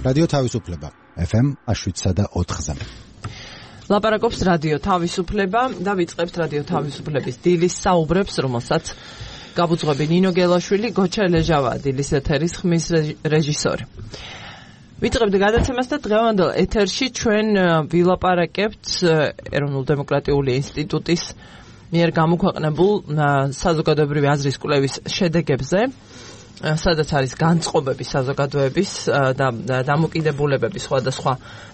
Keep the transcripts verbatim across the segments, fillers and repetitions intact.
რადიო თავისუფლება ეფ ემ შვიდსა და ოთხზე. ლაპარაკობს რადიო თავისუფლება და ვიწყებთ რადიო თავისუფლების დილის საუბრებს, რომელსაც გაბუძღვები ნინო გელაშვილი, გოჩა ლეჟავა, დილის ეთერის ხმის რეჟისორი. ვიწყებთ გადაცემას და დღევანდელ ეთერში ჩვენ ვილაპარაკებთ ეროვნულ დემოკრატიული ინსტიტუტის მიერ გამოქვეყნებულ საზოგადოებრივი აზრის კვლევის შედეგებზე, სადაც არის განწყობები საზოგადოების და დამოკიდებულებების სხვადასხვა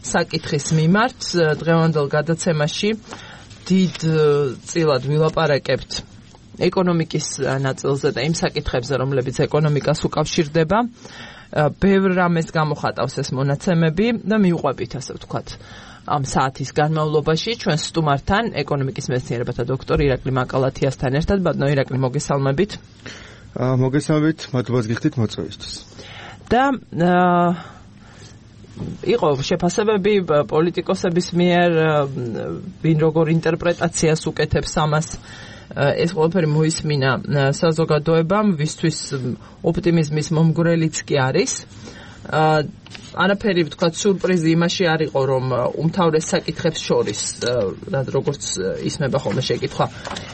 საკითხის მიმართ. დღევანდელ გადაცემაში დიდ წილად ვილაპარაკებთ ეკონომიკის ნაწილზე და იმ საკითხებზე, რომლებიც ეკონომიკას უკავშირდება. ბევრ რამეს გამოხატავს ეს მონაცემები და მივყვებით, ასე ვთქვათ, ამ საათის განმავლობაში ჩვენ სტუმართან, ეკონომიკის მეცნიერებათა დოქტორ ირაკლი მაკალათიასთან ერთად. ბატონო ირაკლი, მოგესალმებით. მოგესალმებით, მადლობას გიხდით მოწვევისთვის. და იყო შეფასებები პოლიტიკოსების მიერ, ვინ როგორ ინტერპრეტაციას უკეთებს ამას. ეს ყველაფერი მოისმინა საზოგადოებამ, ვისთვის ოპტიმიზმის მომგვრელიც კი არის. არაფერი, ვთქვათ, სურპრიზი იმაში არ იყო, რომ უმთავრეს საკითხებს შორის, როგორც ისმება ხოლმე შეკითხვა,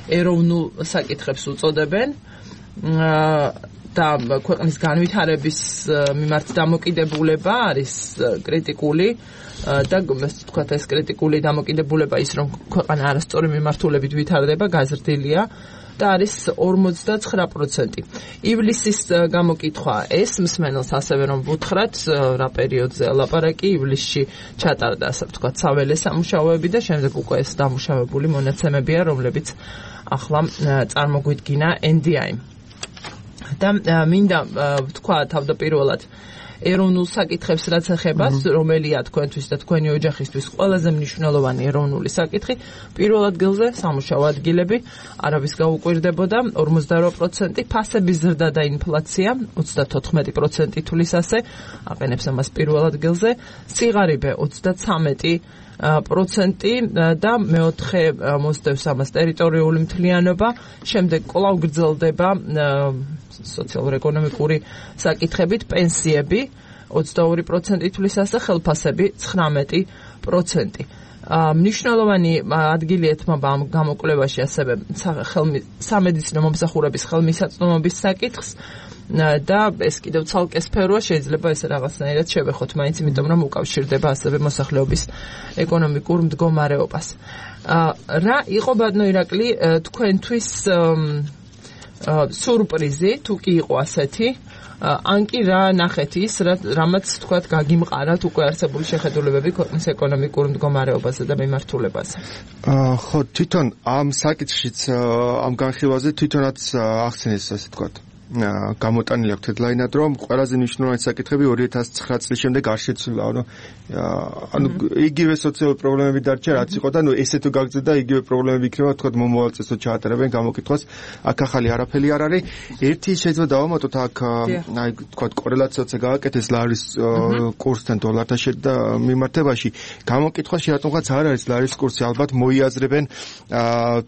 ეროვნულ საკითხებს უწოდებენ და ქვეყნის განვითარების მიმართ დამოკიდებულება არის კრიტიკული და ვთქვათ, ეს კრიტიკული დამოკიდებულება ის, რომ ქვეყანა არასწორი მიმართულებით ვითარდება, გაზრდილია და არის ორმოცდაცხრა პროცენტი. ივლისის გამოკითხვა ეს მსმენელს ასევე რომ ვუთხრათ, რა პერიოდზე ლაპარაკი, ივლისში ჩატარდა, ასე ვთქვათ, საველე სამუშაოები და შემდეგ უკვე ეს დამუშავებული მონაცემებია, რომლებიც ახლა წარმოგვიდგინა ენ დი აი. და მინდა ვთქვა თავდაპირველად ეროვნულ საკითხებს რაც ეხება, რომელია თქვენთვის და თქვენი ოჯახისთვის ყველაზე მნიშვნელოვანი ეროვნული საკითხი. პირველ ადგილზე სამუშაო ადგილები, არავის გაუკვირდებოდა, ორმოცდაორი პროცენტი, ფასების ზრდა და ინფლაცია, ოცდათოთხმეტი პროცენტი თulis ასე, აყენებს ამას პირველ ადგილზე, სიღარიბე ოცდაცამეტი პროცენტი და მეოთხე მოსდევს ამას ტერიტორიული მთლიანობა, შემდეგ კვლავ გრძელდება სოციალურ-ეკონომიკური საკითხებით, პენსიები ოცდაორი პროცენტი თulis ასე, ხელფასები ცხრამეტი პროცენტი. მნიშვნელოვანი ადგილი ეთმობა ამ გამოკვლევაში ასევე სამედიცინო მომსახურების ხელმისაწვდომობის საკითხს და ეს კიდევ ცალკე სფეროა, შეიძლება ეს რაღაცნაირად შევეხოთ მაინც, იმიტომ რომ უკავშირდება ასევე მოსახლეობის ეკონომიკურ მდგომარეობას. რა იყო, ბატონო ირაკლი, თქვენთვის სურპრიზი, თუ კი იყო ასეთი, ან კი რა ნახეთ ის, რამაც თქვათ გაგიმყარათ უკვე არსებული შეხედულებები ქვეყნის ეკონომიკურ მდგომარეობაზე და მიმართულებაზე? ხო, თვითონ ამ საკითხშიც, ამ განხილვაზე თვითონაც ახსენეს, ასე ვთქვათ, გამოტანილი აქვს headline-ად, რომ ყველაზე მნიშვნელოვანი საკითხები ორი ათას ცხრა წლის შემდეგ არ შეცვლილა, ანუ ანუ იგივე სოციალური პრობლემები დარჩა, რაც იყო და ნუ ესე თუ გაგრძელდა, იგივე პრობლემები იქნება, თქვათ მომავალ წელს ჩაატარებენ გამოკითხვას, აქ ახალი არაფერი არ არის. ერთი შეიძლება დავამატოთ აქ, აი თქვათ კორელაციაცია გააკეთეს ლარის კურსთან დოლართან მიმართებაში. გამოკითხვაში რატომღაც არ არის ლარის კურსი, ალბათ მოიაზრებენ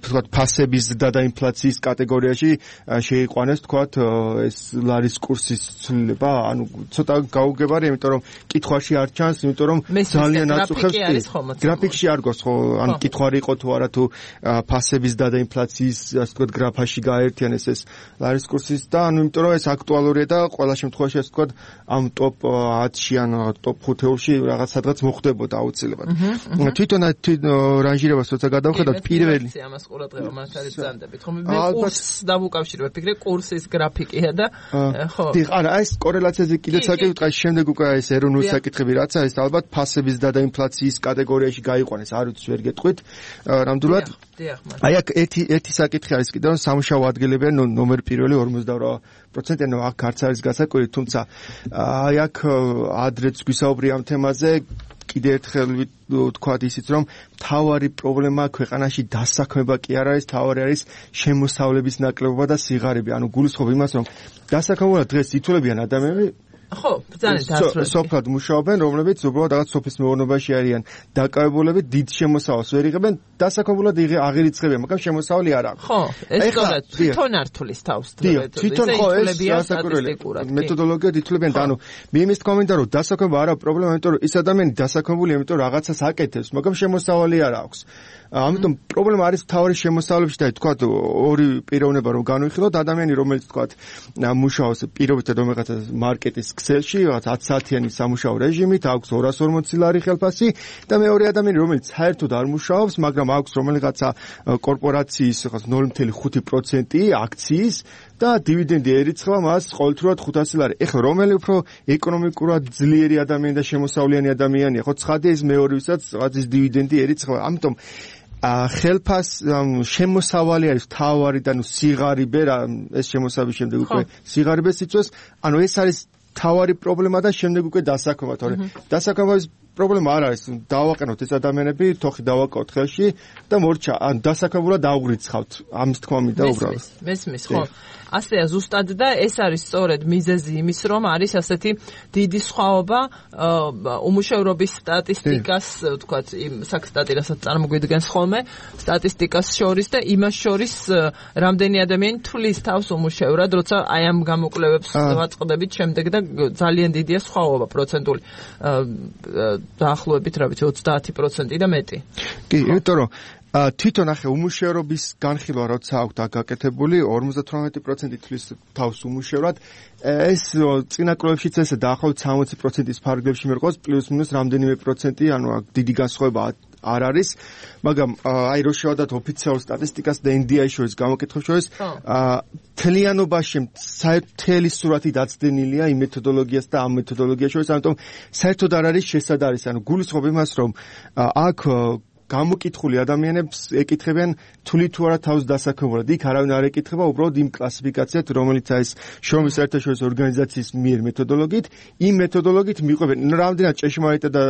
თქვათ ფასების ზრდა და ინფლაციის კატეგორიაში შეიყვანეს თქვათ ეს ლარის კურსის ცვლილება, ანუ ცოტა გაუგებარია, იმიტომ რომ კითხვაში არ ჩანს, იმიტომ რომ ძალიან აწუხებს გრაფიკში არ გოს, ხო, ან კითხვარი იყო თუ არა, თუ ფასების და ინფლაციის, ასე ვთქვათ, გრაფაში გააერთიანეს ეს ლარის კურსის და ანუ იმიტომ რომ ეს აქტუალურია და ყველა შემთხვევაში, ასე ვთქვათ, ამ ტოპ ათში ან ტოპ ხუთეულში რაღაც სადღაც მოხდებოდა აუცილებლად. თვითონ რანჟირებას როცა გადავხედავთ, პირველი ამას ყურადღება მათ არის ძანდებით, ხომ? მე კურსს დავუკავშირებ, ფიქრე კურსის გრაფიკია და ხო. დიახ, არა, ეს კორელაციაზე კიდევ საკითხი, შემდეგ უკვე ეს ეროვნული საკითხები რაც არის, ალბათ ფასების და ინფლაციის კატეგორიაში გაიყვანეს, არ ვიცი, ვერ გეტყვით. ნამდვილად. აი აქ ერთი ერთი საკითხი არის კიდევ, რომ სამუშაო ადგილები ან ნომერ პირველი ორმოცდაორი პროცენტი, ანუ აქ არც არის გასაკვირი, თუმცა აი აქ ადრეც გვისაუბრია ამ თემაზე, კიდევ ერთხელ ვთქვათ ისიც, რომ მთავარი პრობლემა ქვეყანაში დასაქმება კი არ არის, მთავარი არის შემოსავლების ნაკლებობა და სიღარიბე. ანუ გულისხმობ იმას, რომ დასაქმებულად დღეს ითვლებიან ადამიანები ხო, ძალიან დასრულებული. სოფლად მუშაობენ, რომლებიც უბრალოდ რაღაც სოფლის მეურნეობაში არიან დაკავებულები, დიდ შემოსავალს ვერ იღებენ, დასაქმებულად აღირიცხებიან, მაგრამ შემოსავალი არ აქვს. ხო, ეს სწორედ თვითონ ართulis თავს. თვითონ ხო ეს დასაკვირველი მეთოდოლოგია ითვლებიან და ანუ მე იმის თქმა მინდა რომ დასაქმება არა პრობლემა, იმიტომ რომ ის ადამიანი დასაქმებულია, იმიტომ რომ რაღაცას აკეთებს, მაგრამ შემოსავალი არ აქვს. ამიტომ პრობლემა არის თავი შემოსავლებში და თქვა ორი პიროვნება რომ განვიხილოთ, ადამიანი რომელიც თქვა მუშაობს პირობითად რომელიღაცა მარკეტის ქსელში, რაღაც ათი საათიანი სამუშაო რეჟიმით, აქვს ორას ორმოცი ლარი ხელფასი და მეორე ადამიანი რომელიც საერთოდ არ მუშაობს, მაგრამ აქვს რომელიღაცა კორპორაციის რაღაც ნული კომა ხუთი პროცენტი აქციის და დივიდენდი ერიცხება მას ყოველდღიურად ხუთასი ლარი. ეხლა რომელი უფრო ეკონომიკურად ძლიერი ადამიანი და შემოსავლიანი ადამიანია, ხო ცხადია ის მეორე ვისაც რაღაც ის დივიდენდი ერიცხება. ამიტომ ხელფას შემოსავალი არის თავარი და ნუ სიღარიბე რა ეს შემოსავის შემდეგ უკვე სიღარიბეს იწვევს. ანუ ეს არის თავარი პრობლემა და შემდეგ უკვე დასაქმება, თორე დასაქმების პრობლემა არ არის. დავაყენოთ ეს ადამიანები, თოხი დავაკავოთ ხელში და მორჩა, ან დასაქმებულად დაუგრიცხავთ. ამის თქმა მინდა უბრალოდ. მესმის, ხო. ასეა ზუსტად და ეს არის სწორედ მიზეზი იმის, რომ არის ასეთი დიდი სხვაობა უმუშევრობის სტატისტიკას, ვთქვათ, იმ საკსტატი, რასაც წარმოგვიდგენს ხოლმე, სტატისტიკას შორის და იმას შორის, რამდენი ადამიანი თვლის თავს უმუშევრად, როცა აი ამ გამოკვლევებს ვაწყდებით შემდეგ და ძალიან დიდია სხვაობა პროცენტული. დაახლოებით რა ვიცი ოცდაათი პროცენტი და მეტი. კი, იმიტომ რომ თვითონ ახე უმუშევრობის განხილვა როცა აქვთ გაკეთებული ორმოცდათვრამეტი პროცენტი თვლის თავს უმუშევრად, ეს წინა კვლევებშიც ესე დაახლოებით სამოცი პროცენტის ფარგლებში მერყავს, პლუს მინუს რამდენიმე პროცენტი, ანუ დიდი განსხვავება არ არის, მაგრამ აი რო შევადოთ ოფიციალურ სტატისტიკას და ენ დი აის შორის გამოკითხებს შორის, თლიანობაში საერთელი სურათი დაცდენილია იმ მეთოდოლოგიას და ამ მეთოდოლოგიას შორის, ამიტომ საერთოდ არ არის შესაძარის, ანუ გულისხმობ იმას, რომ აქ გამოკითხული ადამიანებს ეკითხებიან თვლით თუ არა თავს დასაქმებულად. იქ არავინ არ ეკითხება, უბრალოდ იმ კლასიფიკაციად, რომელიც არის შრომის საერთაშორისო ორგანიზაციის მიერ მეთოდოლოგიით, იმ მეთოდოლოგიით მიყვებენ. რამდენად ჭეშმარიტად და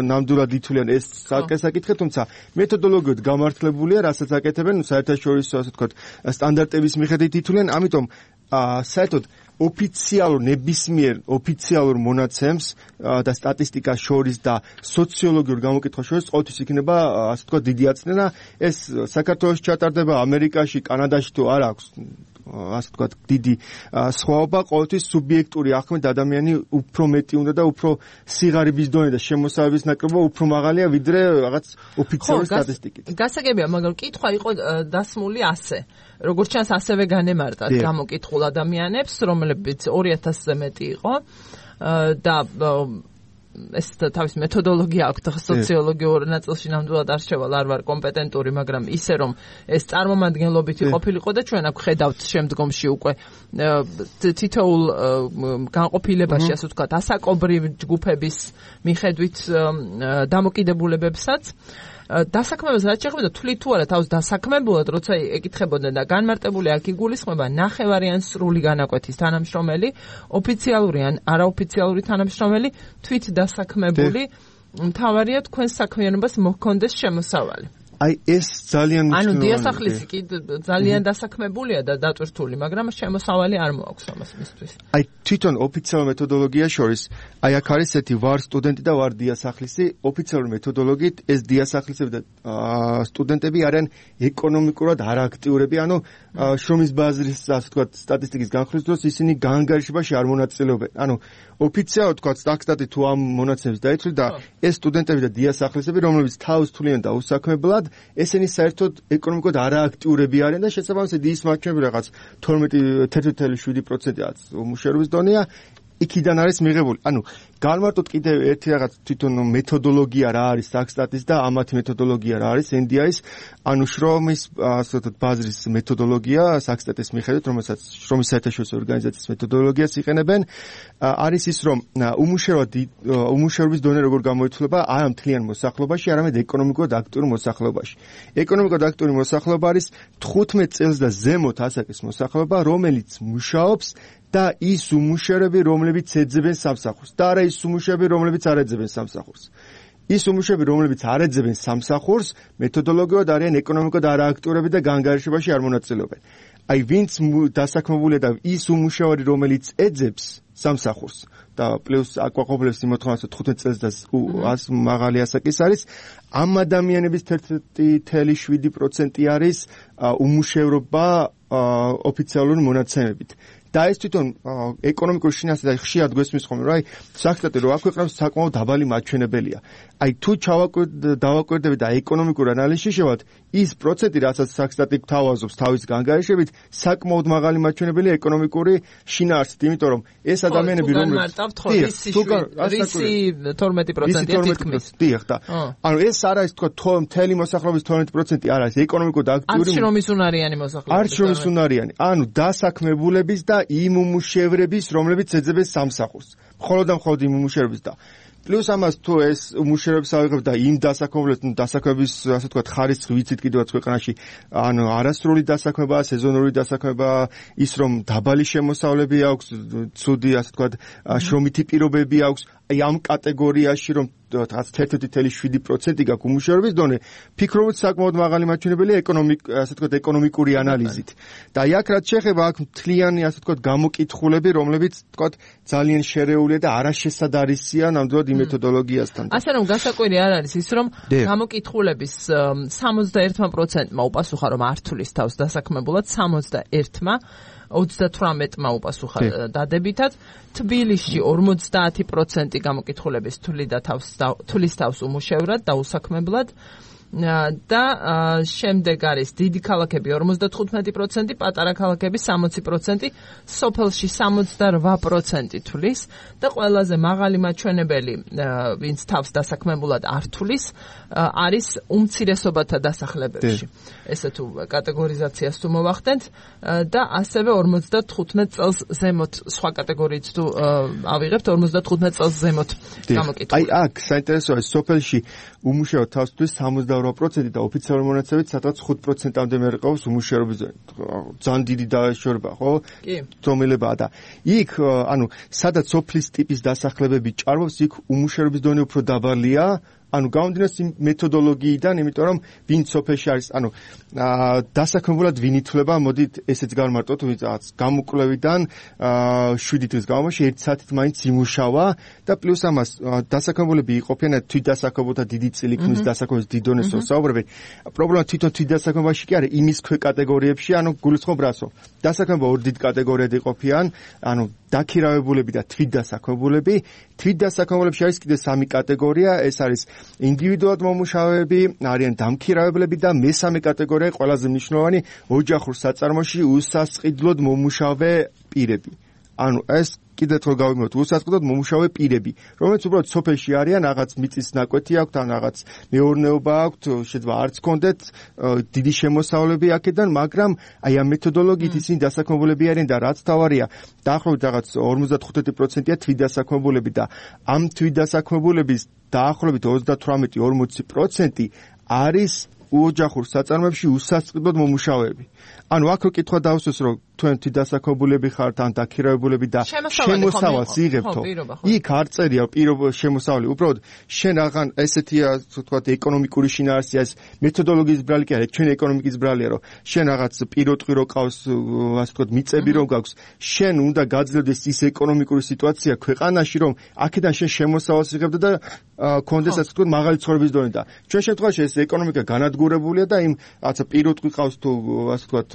ნამდვილად ითვლიან ეს საკითხი, თუმცა მეთოდოლოგიით გამართლებულია, რასაც აკეთებენ საერთაშორისო, ასე ვთქვათ, სტანდარტების მიხედვით ითვლიან, ამიტომ საერთოდ ოფიციალურ ნებისმიერ ოფიციალურ მონაცემს და სტატისტიკას შორის და სოციოლოგიურ გამოკითხვას შორის ყოველთვის იქნება ასე ვთქვათ დიდი აწნენა. ეს საქართველოში ჩატარდება, ამერიკაში, კანადაში თუ არ აქვს ასე ვთქვათ დიდი სხვაობა, ყოველთვის სუბიექტური ახმით ადამიანი უფრო მეტი უნდა და უფრო სიღარიბის დონე და შემოსავების ნაკლებობა უფრო მაღალია ვიდრე რაღაც ოფიციალური სტატისტიკით. გასაგებია, მაგრამ კითხვა იყო დასმული ასე. როგორც ჩანს, ასევე განემარტათ გამოკითხულ ადამიანებს, რომლებიც ორი ათასზე მეტი იყო და ეს თავის მეთოდოლოგია აქვს, სოციოლოგიურ ნაწილში ნამდვილად არ შევალ, არ ვარ კომპეტენტური, მაგრამ ისე რომ ეს წარმომადგენლობითი ყოფილიყო და ჩვენ აქ ხედავთ შემდგომში უკვე თითოეულ განყოფილებაში, ასე ვთქვათ, ასაკობრივ ჯგუფების მიხედვით დამოკიდებულებებსაც დასაქმებას რაც შეეხება და თვლით თუ არა თავს დასაქმებულად, როცა ეკითხებოდნენ და განმარტებული აქ იგულისხმება ნახევარი ან სრული განაკვეთის თანამშრომელი, ოფიციალური ან არაოფიციალური თანამშრომელი, თვით დასაქმებული, მთავარია თქვენ საქმიანობას მოჰქონდეს შემოსავალი. აი ეს ძალიან ანუ დიასახლისი კი ძალიან დასაქმებულია და დატვირთული, მაგრამ შემოსავალი არ მოაქვს ამას მისთვის. აი თვითონ ოფიციალურ მეთოდოლოგიას შორის, აი აქ არის ესეთი ვარ სტუდენტი და ვარ დიასახლისი, ოფიციალური მეთოდოლოგიით ეს დიასახლისები და სტუდენტები არიან ეკონომიკურად არააქტიურები, ანუ შრომის ბაზრის, ასე ვთქვათ, სტატისტიკის განხილვის დროს ისინი გაანგარიშებაში არ მონაწილეობენ. ანუ ოფიციალურად ვთქვათ, სტატისტიკა თუ ამ მონაცემებს დაიცვლით და ეს სტუდენტები და დიასახლისები, რომლებიც თავს თვლიან და უსაქმებლად, ესენი საერთოდ ეკონომიკურად არააქტიურები არიან და შესაბამისად ის მაჩვენები რაღაც თორმეტი თერთმეტი შვიდი პროცენტი-აც უმუშევრობის დონეა, იქიდან არის მიღებული. ანუ განმარტოთ კიდევ ერთი რაღაც თვითონ მეთოდოლოგია რა არის საკსტატის და ამათი მეთოდოლოგია რა არის ენ დი აის, ანუ შრომის ასე ვთქვათ ბაზრის მეთოდოლოგია საკსტატის მიხედვით, რომელსაც შრომის საერთაშორისო ორგანიზაციის მეთოდოლოგიას იყენებენ, არის ის, რომ უმუშევრად უმუშევრობის დონე როგორ გამოიცვლება არა მთლიან მოსახლეობაში, არამედ ეკონომიკურად აქტიურ მოსახლეობაში. ეკონომიკურად აქტიური მოსახლეობა არის თხუთმეტ წელს და ზემოთ ასაკის მოსახლეობა, რომელიც მუშაობს და ის უმუშევრები, რომლებიც ეძებენ სამსახურს და არა ის უმუშევრები, რომლებიც არ ეძებენ სამსახურს. ის უმუშევრები, რომლებიც არ ეძებენ სამსახურს, მეთოდოლოგიურად არიან ეკონომიკურად არააქტიურები და გაანგარიშებაში არ მონაწილეობენ. აი ვინც დასაქმებულია და ის უმუშავარი რომელიც ეძებს სამსახურს და პლუს აკვაყოფილებს იმოთხოვნას თხუთმეტ წელს და ას მაღალი ასაკის არის ამ ადამიანების ერთ-ერთი თელი შვიდი პროცენტი არის უმუშევრობა ოფიციალური მონაცემებით და ეს თვითონ ეკონომიკურ შინაარსზე და ხშირად გვესმის ხოლმე რომ აი საქმე რო აქვეყნებს საკმაოდ დაბალი მაჩვენებელია აი თუ დავაკვირდებით და ეკონომიკურ ანალიზში შევად ის პროცენტი რასაც საქსტატი გვთავაზობს თავის განგარიშებით საკმაოდ მაღალი მაჩვენებელია ეკონომიკური შინაარსით იმიტომ რომ ეს ადამიანები რომლებიც რისი თორმეტი პროცენტია თითქმის დიახ და ანუ ეს არ არის თქვა მთელი მოსახლეობის თორმეტი პროცენტი არ არის ეკონომიკურად აქტიური არც შრომის უნარიანი მოსახლეობა არც შრომის უნარიანი ანუ დასაქმებულების და იმ უმუშევრების რომლებიც ეძებენ სამსახურს მხოლოდ და მხოლოდ იმ უმუშევრების და პლუს ამას თუ ეს უმუშევრებს ავიღებ და იმ დასაქმებულებს დასაქმების ასე ვთქვათ ხარისხი ვიცით კიდევაც ქვეყანაში ანუ არასრული დასაქმება სეზონური დასაქმება ის რომ დაბალი შემოსავლები აქვს ცუდი ასე ვთქვათ შრომითი პირობები აქვს აი ამ კატეგორიაში რომ ერთ-ერთი თელი შვიდი პროცენტი გაქვს უმუშევრობის დონე ფიქრობ ότι საკმაოდ მაღალი მაჩვენებელია ეკონომიკ ასე ვთქვათ ეკონომიკური ანალიზით და აი აქ რაც შეეხება აქ მთლიანი ასე ვთქვათ გამოკითხულები რომლებიც ვთქვათ ძალიან შერეულია და არაშესადარისია ნამდვილად იმ მეთოდოლოგიასთან ასე რომ გასაკვირი არ არის ის რომ გამოკითხულების სამოცდაერთმა პროცენტმა უპასუხა რომ არ თulis თავს დასაქმებულად სამოცდაერთმა ოცდათვრამეტმა უპასუხა დადებითად თბილისში ორმოცდაათი პროცენტი გამოკითხულების თვლიდა თავს თulis თავს უმუშევრად და უსაქმებლად და შემდეგ არის დიდი ქალაქები ორმოცდათხუთმეტი პროცენტი, პატარა ქალაქები სამოცი პროცენტი, სოფელში სამოცდარვა პროცენტი თulis და ყველაზე მაღალი მაჩვენებელი, ვინც თავს დასაქმებულად არ თulis, არის უმცირესობათა დასახლებებში. ესე თუ კატეგორიზაციას თუ მოვახდენთ და ასევე ორმოცდათხუთმეტ წელს ზემოთ სხვა კატეგორიით თუ ავიღებთ ორმოცდათხუთმეტ წელს ზემოთ გამოკითხული. აი აქ საინტერესოა სოფელში უმუშევრად თავს თulis სამოცდაორვა პროცენტი და ოფიციალური მონაცემებით სადღაც ხუთ პროცენტამდე მერყევს უმუშევრობის ძალიან დიდი დაშორება, ხო? კი. ზომილებაა და იქ ანუ სადაც სოფლის ტიპის დასახლებები ჭარბობს, იქ უმუშევრობის დონე უფრო დაბალია. ანუ გამომდინარე იმ მეთოდოლოგიიდან, იმიტომ რომ ვინც სოფელში არის, ანუ დასაქმებულად ვინ ითვლება, მოდით ესეც გავმარტოთ, ვინც რაღაც გამოკვლევიდან შვიდი თვის განმავლობაში ერთი საათით მაინც იმუშავა და პლუს ამას დასაქმებულები იყოფიან თვითდასაქმებულთა დიდი წილი ქმნის დასაქმების დიდ დონეს საუბრები. პრობლემა თვითონ თვითდასაქმებაში კი არის იმის ქვე კატეგორიებში, ანუ გულისხმობ რასო. დასაქმება ორ დიდ კატეგორიად იყოფიან, ანუ დაქირავებულები და თვითდასაქმებულები. თვითდასაქმებულებში არის კიდე სამი კატეგორია, ეს არის ინდივიდუალურად მომუშავეები, არიან დამქირავებლები და მესამე კატეგორია ყველაზე მნიშვნელოვანი ოჯახურ საწარმოში უსასყიდლოდ მომუშავე პირები. ანუ ეს კიდევ თქო გავიმოთ უსასყიდლოდ მომუშავე პირები, რომლებიც უბრალოდ სოფელში არიან, რაღაც მიწის ნაკვეთი აქვთ, ან რაღაც მეურნეობა აქვთ, შეიძლება არც კონდეთ დიდი შემოსავლები აქედან, მაგრამ აი ამ მეთოდოლოგიით ისინი დასაქმებულები არიან და რაც თავარია, დაახლოებით რაღაც ორმოცდათხუთმეტი პროცენტია თვითდასაქმებულები და ამ თვითდასაქმებულების დაახლოებით ოცდათვრამეტი ორმოცი პროცენტი არის ოჯახურ საწარმოებში უსასყიდლოდ მომუშავეები. ანუ აქ კითხვა დავსვეს, რომ თქვენ თვითდასაქმებულები ხართ ან დაქირავებულები და შემოსავალს იღებთო. იქ არ წერია პირობა შემოსავალი, უბრალოდ შენ აღან ესეთია, თქვათ, ეკონომიკური შინაარსია, ეს მეთოდოლოგიის ბრალი კი არა, ჩვენ ეკონომიკის ბრალია, რომ შენ რაღაც პიროტყვი რო ყავს, ასე ვთქვათ, მიწები რო გაქვს, შენ უნდა გაძლევდეს ის ეკონომიკური სიტუაცია ქვეყანაში, რომ აქედან შენ შემოსავალს იღებდე და კონდეს, ასე ვთქვათ, მაღალი ცხოვრების დონე და ჩვენ შემთხვევაში ეს ეკონომიკა განადგურებულია და იმ რაღაცა პიროტყვი ყავს თუ ასე ვთქვათ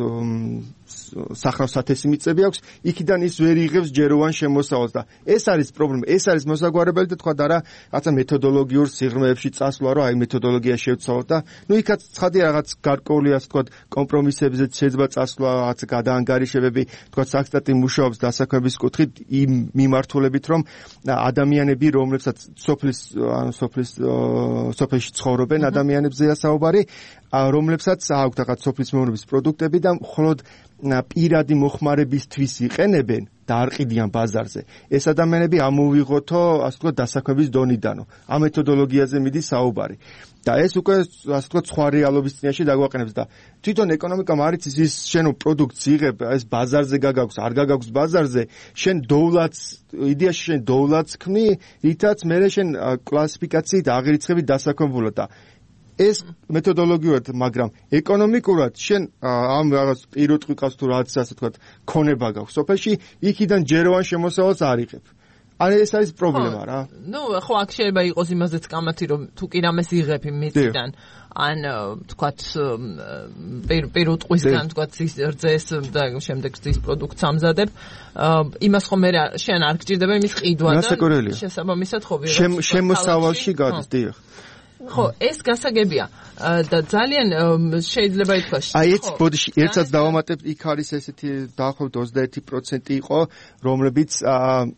სახნავს სათესი მიწები აქვს, იქიდან ის ვერ იღებს ჯეროვან შემოსავალს და ეს არის პრობლემა, ეს არის მოსაგვარებელი და თქვა და რა, რაღაცა მეთოდოლოგიურ სიღრმეებში წასვლა, რომ აი მეთოდოლოგია შევცვალოთ და ნუ იქაც ცხადია რაღაც გარკვეული ასე ვთქვათ კომპრომისებზე შეიძლება წასვლა, რაღაც გადაანგარიშებები, თქვა საქსტატი მუშაობს დასაქმების კუთხით იმ მიმართულებით, რომ ადამიანები, რომლებსაც სოფლის ან სოფლის სოფელში ცხოვრობენ ადამიანებზეა საუბარი, რომლებსაც აქვთ რაღაც სოფლის მეურნეობის პროდუქტები და მხოლოდ პირადი მოხმარებისთვის იყენებენ და არ ყიდიან ბაზარზე. ეს ადამიანები ამოვიღოთო, ასე ვთქვათ, დასაქმების დონიდანო. ამ მეთოდოლოგიაზე მიდის საუბარი. და ეს უკვე, ასე ვთქვათ, სხვა რეალობის წინაშე დაგვაყენებს და თვითონ ეკონომიკამ არ იცის ის შენ პროდუქტს იღებ, ეს ბაზარზე გაგაქვს, არ გაგაქვს ბაზარზე, შენ დოვლათს, იდეაში შენ დოვლათს ქმნი, რითაც მერე შენ კლასიფიკაციით აღირიცხები დასაქმებულად და ეს მეთოდოლოგიურად, მაგრამ ეკონომიკურად შენ ამ რაღაც პირუტყვიკას თუ რაც ასე თქვა, ქონება გაქვს სოფელში, იქიდან ჯეროვან შემოსავალს არ იღებ. არა ეს არის პრობლემა რა. ნუ ხო აქ შეიძლება იყოს იმაზეც კამათი რომ თუ კი რამეს იღებ მიწიდან ან თქვათ პირუტყვისგან თქვათ ის რძეს და შემდეგ ის პროდუქტს ამზადებ იმას ხომ მე შენ არ გჭირდება იმის ყიდვა და შესაბამისად ხო ვიღაც შემოსავალში გადის დიახ. ხო ეს გასაგებია და ძალიან შეიძლება ითქვას აი ეს ბოდიში ერთად დავამატებ იქ არის ესეთი დაახლოებით ოცდაერთი პროცენტი იყო რომლებიც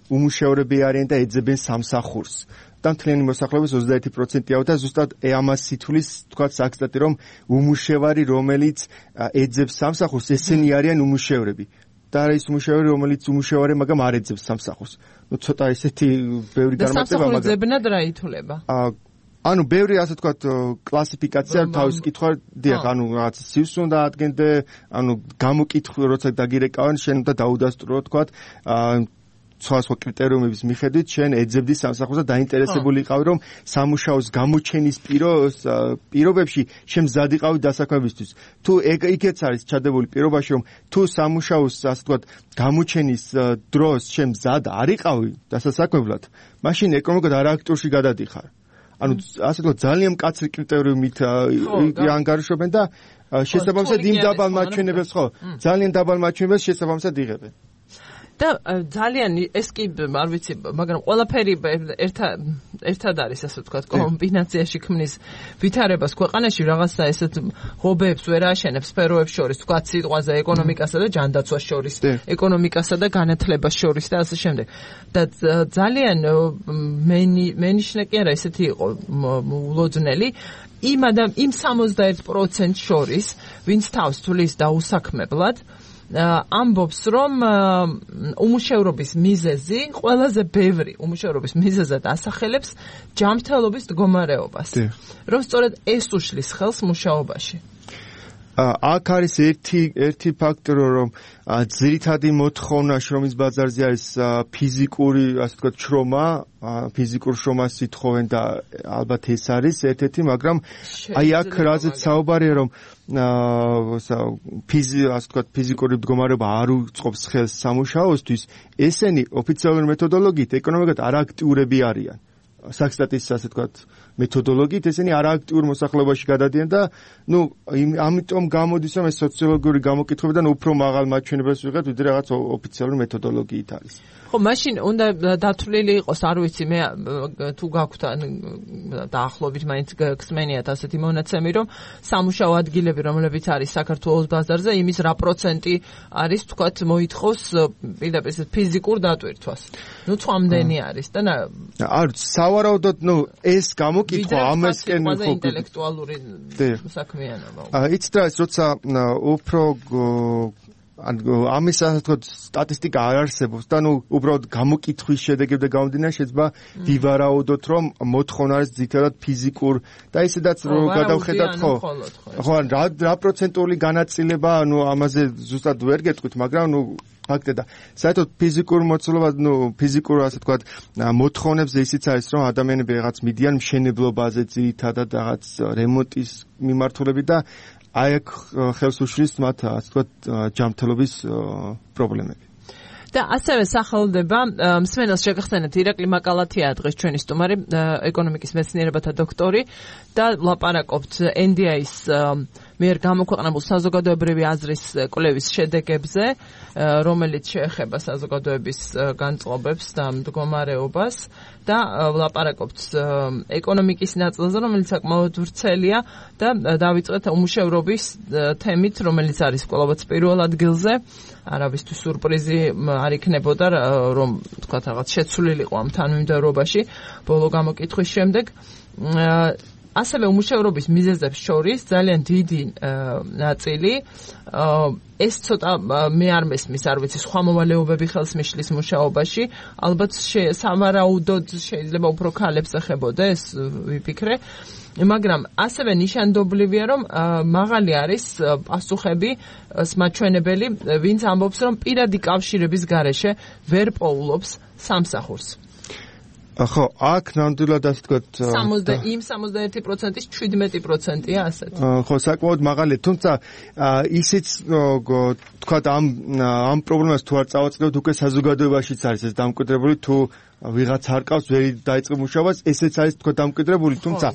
უმუშევრები არიან და ეძებენ სამსახურს და მთლიანი მოსახლეობის ოცდაერთი პროცენტია და ზუსტად ამას სითulis თქვა საქსტატი რომ უმუშევარი რომელიც ეძებს სამსახურს ესენი არიან უმუშევრები და არის უმუშევარი რომელიც უმუშევარი მაგრამ არ ეძებს სამსახურს ну ცოტა ესეთი ბევრი განმარტება მაგრამ სამსახურებად რა ითვლება ანუ ბევრი ასე თქვა კლასიფიკაცია თავის კითხვა დიახ ანუ რაღაც სივს უნდა ადგენდე ანუ გამოკითხვა როცა დაგირეკავენ შენ უნდა დაუდასტურო თქვა სხვა სხვა კრიტერიუმების მიხედვით შენ ეძებდი სამსახურს და დაინტერესებული იყავი რომ სამუშაოს გამოჩენის პირობებში შენ მზად იყავი დასაქმებისთვის თუ იქეც არის ჩადებული პირობაში რომ თუ სამუშაოს ასე თქვა გამოჩენის დროს შენ მზად არ იყავი დასაქმებლად მაშინ ეკონომიკურად არააქტიურში გადადიხარ ანუ ასე თქვა ძალიან მკაცრი კრიტერიუმით ანგარიშობენ და შესაბამისად იმ დაბალ მაჩვენებელს ხო ძალიან დაბალ მაჩვენებელს შესაბამისად იღებენ და ძალიან ეს კი არ ვიცი მაგრამ ყველაფერი ერთად ერთად არის ასე ვთქვათ კომბინაციაში ქმნის ვითარებას ქვეყანაში რაღაცა ესეთ ღობეებს ვერ აშენებს სფეროებს შორის ვთქვათ სიტყვაზე ეკონომიკასა და ჯანდაცვას შორის ეკონომიკასა და განათლებას შორის და ასე შემდეგ და ძალიან მენიშნე კი არა ესეთი იყო ულოძნელი იმ ადამ იმ სამოცდაერთ პროცენტს შორის ვინც თავს თulis დაუსაქმებლად ამბობს რომ უმუშევრობის მიზეზი ყველაზე ბევრი უმუშევრობის მიზეზად ასახელებს ჯანმრთელობის მდგომარეობას რომ სწორედ ეს უშლის ხელს მუშაობაში აქ არის ერთი ერთი ფაქტორი რომ ძირითადი მოთხოვნა შრომის ბაზარზე არის ფიზიკური ასე ვთქვათ შრომა ფიზიკურ შრომას ითხოვენ და ალბათ ეს არის ერთ-ერთი მაგრამ აი აქ რაზეც საუბარია რომ ფიზი ასე ვთქვათ ფიზიკური მდგომარეობა არ უწყობს ხელს სამუშაოსთვის ესენი ოფიციალური მეთოდოლოგიით ეკონომიკად არააქტიურები არიან საქსტატის ასე ვთქვათ მეთოდოლოგიით ესენი არააქტიურ მოსახლეობაში გადადიან და ნუ ამიტომ გამოდის რომ ეს სოციოლოგიური გამოკითხვებიდან უფრო მაღალ მაჩვენებელს ვიღებთ ვიდრე რაღაც ოფიციალური მეთოდოლოგიით არის ხო მაშინ უნდა დათვლილი იყოს არ ვიცი მე თუ გაქვთ დაახლოებით მაინც გსმენიათ ასეთი მონაცემი რომ სამუშაო ადგილები რომლებიც არის საქართველოს ბაზარზე იმის რა პროცენტი არის თქვათ მოითხოვს პირდაპირ ფიზიკურ დატვირთვას ნუ წამდენი არის და არ სავარაუდოდ ნუ ეს გამოკითხვა ამასკენ ხო ინტელექტუალური საქმიანობა იცით რა როცა უფრო ამის ასე თქვა სტატისტიკა არ არსებობს და ნუ უბრალოდ გამოკითხვის შედეგებზე გამომდინარე შეიძლება ვივარაუდოთ რომ მოთხოვნა არის ძირითადად ფიზიკურ და ისედაც რომ გადავხედათ ხო ხო რა რა პროცენტული განაწილება ნუ ამაზე ზუსტად ვერ გეტყვით მაგრამ ნუ ფაქტია და საერთოდ ფიზიკურ მოცულობა ნუ ფიზიკურ ასე თქვა მოთხოვნებზე ისიც არის რომ ადამიანები რაღაც მიდიან მშენებლობაზე ძირითადად რაღაც რემონტის მიმართულებით და აი აქ ხელს უშლის მათ ასე ვთქვათ ჯანმრთელობის პრობლემები და ასევე სახელდება მსმენელს შეგახსენეთ ირაკლი მაკალათია დღეს ჩვენი სტუმარი ეკონომიკის მეცნიერებათა დოქტორი და ვლაპარაკობთ ენ დი აის მიერ გამოქვეყნებულ საზოგადოებრივი აზრის კვლევის შედეგებზე რომელიც შეეხება საზოგადოების განწყობებს და მდგომარეობას და ვლაპარაკობთ ეკონომიკის ნაწილზე რომელიც საკმაოდ ვრცელია და დავიწყეთ უმუშევრობის თემით რომელიც არის კვლავაც პირველ ადგილზე არავისთვის სურპრიზი არ იქნებოდა რომ თქვა რაღაც შეცვლილიყო ამ თანმიმდევრობაში ბოლო გამოკითხვის შემდეგ ასევე უმუშევრობის მიზეზებს შორის ძალიან დიდი ნაწილი ეს ცოტა მე არ მესმის არ ვიცი სხვა მოვალეობები ხელს მიშლის მუშაობაში ალბათ სამარაუდოდ შეიძლება უფრო ქალებს ეხებოდა ეს ვიფიქრე მაგრამ ასევე ნიშანდობლივია რომ მაღალი არის პასუხები მაჩვენებელი ვინც ამბობს რომ პირადი კავშირების გარეშე ვერ პოულობს სამსახურს ხო, აქ ნამდვილად ასე ვთქვათ, იმ სამოცდაერთი პროცენტის შვიდმეტი პროცენტია ასეთ. ხო, საკმაოდ მაღალია, თუმცა ისიც ვთქვათ ამ ამ პრობლემას თუ არ წავაწყდებთ, უკვე საზოგადოებაშიც არის ეს დამკვიდრებული, თუ ვიღაც არ ყავს, ვერ დაიწყო მუშაობას, ესეც არის თქო დამკვიდრებული, თუმცა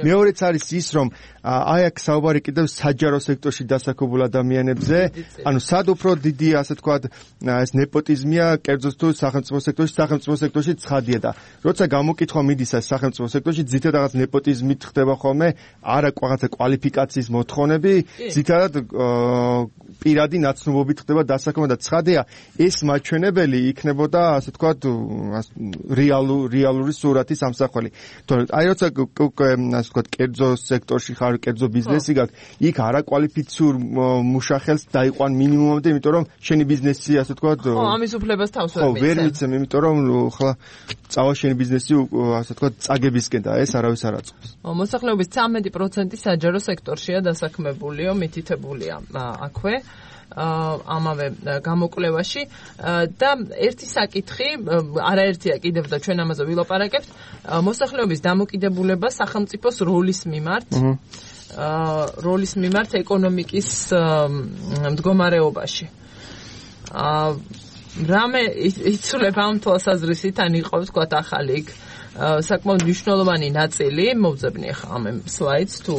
მეორეც არის ის, რომ აი აქ საუბარი კიდევ საჯარო სექტორში დასაქმებულ ადამიანებზე, ანუ სად უფრო დიდი, ასე ვთქვათ, ეს ნეპოტიზმია, კერძოდ თუ სახელმწიფო სექტორში, სახელმწიფო სექტორში ცხადია და როცა გამოკითხვა მიდის ეს სახელმწიფო სექტორში, ძირითადად რაღაც ნეპოტიზმით ხდება ხოლმე, არა რაღაცა კვალიფიკაციის მოთხოვნები, ძირითადად პირადი ნაცნობობით ხდება დასაქმება და ცხადია, ეს მაჩვენებელი იქნებოდა, ასე ვთქვათ, რეალურ რეალური სურათის ამსახველი. თორემ აი როცა ასე ვთქვათ, კერძო სექტორში ხარ, კერძო ბიზნესი გაქვს, იქ არაკვალიფიციურ მუშახელს დაიყვან მინიმუმამდე, იმიტომ რომ შენი ბიზნესი, ასე ვთქვათ, ხო, ამის უფლებას თავს ვერ მიცემ. ხო, ვერ მიცემ, იმიტომ რომ ხლა წავა შენი ბიზნესი, ასე ვთქვათ, წაგებისკენ და ეს არავის არ აწყობს. მოსახლეობის ცამეტი პროცენტი საჯარო სექტორშია დასაქმებულიო, მითითებულია აქვე. ამავე გამოკვლევაში და ერთი საკითხი, არაერთია კიდევ და ჩვენ ამაზე ვილაპარაკებთ, მოსახლეობის დამოკიდებულება სახელმწიფოს როლის მიმართ, როლის მიმართ ეკონომიკის მდგომარეობაში. რამე იცვლება ამ თვალსაზრისით, ან იყო ვთქვათ ახალი იქ საკმაოდ მნიშვნელოვანი ნაწილი, მოვძებნი ახლა ამ სლაიდს თუ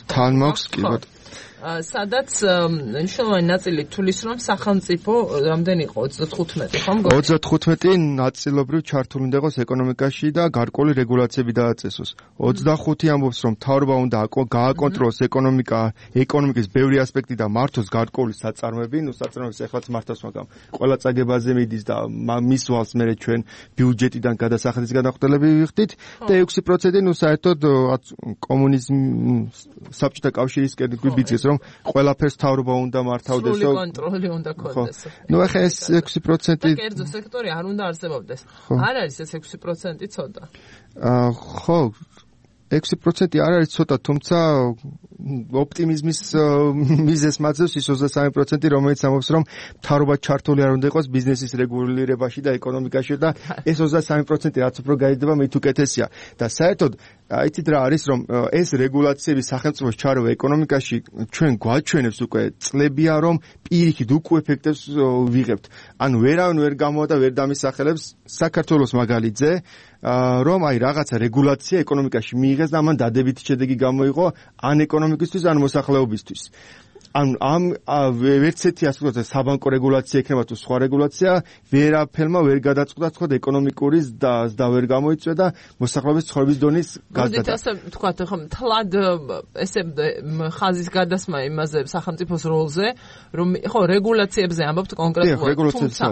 თან მაქვს კი ბატონო. სადაც მნიშვნელოვანი ნაწილი თulis რომ სახელმწიფო რამდენი იყო ოცდათხუთმეტი ხომ გქონდა ოცდათხუთმეტი ნაწილობრივ ჩართული უნდა იყოს ეკონომიკაში და გარკვეული რეგულაციები დააწესოს. ოცდახუთი ამბობს რომ მთავრობა უნდა გააკონტროლოს ეკონომიკა, ეკონომიკის ბევრი ასპექტი და მართოს გარკვეული საწარმოები, ნუ საწარმოებს ეხლაც მართავს, მაგრამ ყველა წაგებაზე მიდის და მის ვალს მერე ჩვენ ბიუჯეტიდან გადასახადის გადახდელები ვიხდით და ექვსი პროცენტი ნუ საერთოდ კომუნიზმ საბჭოთა კავშირისკენ გვიბიძგეს რომ ყველაფერს მთავრობა უნდა მართავდეს. სრული კონტროლი უნდა ქონდეს. ნუ ახლა ეს ექვსი პროცენტი კერძო სექტორი არ უნდა არსებობდეს. არ არის ეს ექვსი პროცენტი ცოტა. აა ხო, ექვსი პროცენტი არ არის ცოტა, თუმცა ოპტიმიზმის მიზეზს მაძლევს ის ოცდასამი პროცენტი, რომელიც ამბობს რომ მთავრობა ჩართული არ უნდა იყოს ბიზნესის რეგულირებაში და ეკონომიკაში და ეს ოცდასამი პროცენტი რაც უფრო გაიზრდება, მით უკეთესია. და საერთოდ აიცით რა არის, რომ ეს რეგულაციები სახელმწიფოს ჩარევა ეკონომიკაში ჩვენ გვაჩვენებს უკვე წლებია, რომ პირიქით უკუ ეფექტებს ვიღებთ. ანუ ვერავინ ვერ გამოვა და ვერ დამისახელებს საქართველოს მაგალითზე, რომ აი რაღაცა რეგულაცია ეკონომიკაში მიიღეს და ამან დადებითი შედეგი გამოიღო ან ეკონომიკისთვის, ან მოსახლეობისთვის. ან ამ ვერცეთი ასე ვთქვათ საბანკო რეგულაცია იქნება თუ სხვა რეგულაცია ვერაფერმა ვერ გადაწყდა თქო ეკონომიკური და ვერ გამოიწვია და მოსახლეობის ცხოვრების დონის გაზრდა. მოდით ასე ვთქვათ ხო თლად ესე ხაზის გადასმა იმაზე სახელმწიფოს როლზე რომ ხო რეგულაციებზე ამბობთ კონკრეტულად თუმცა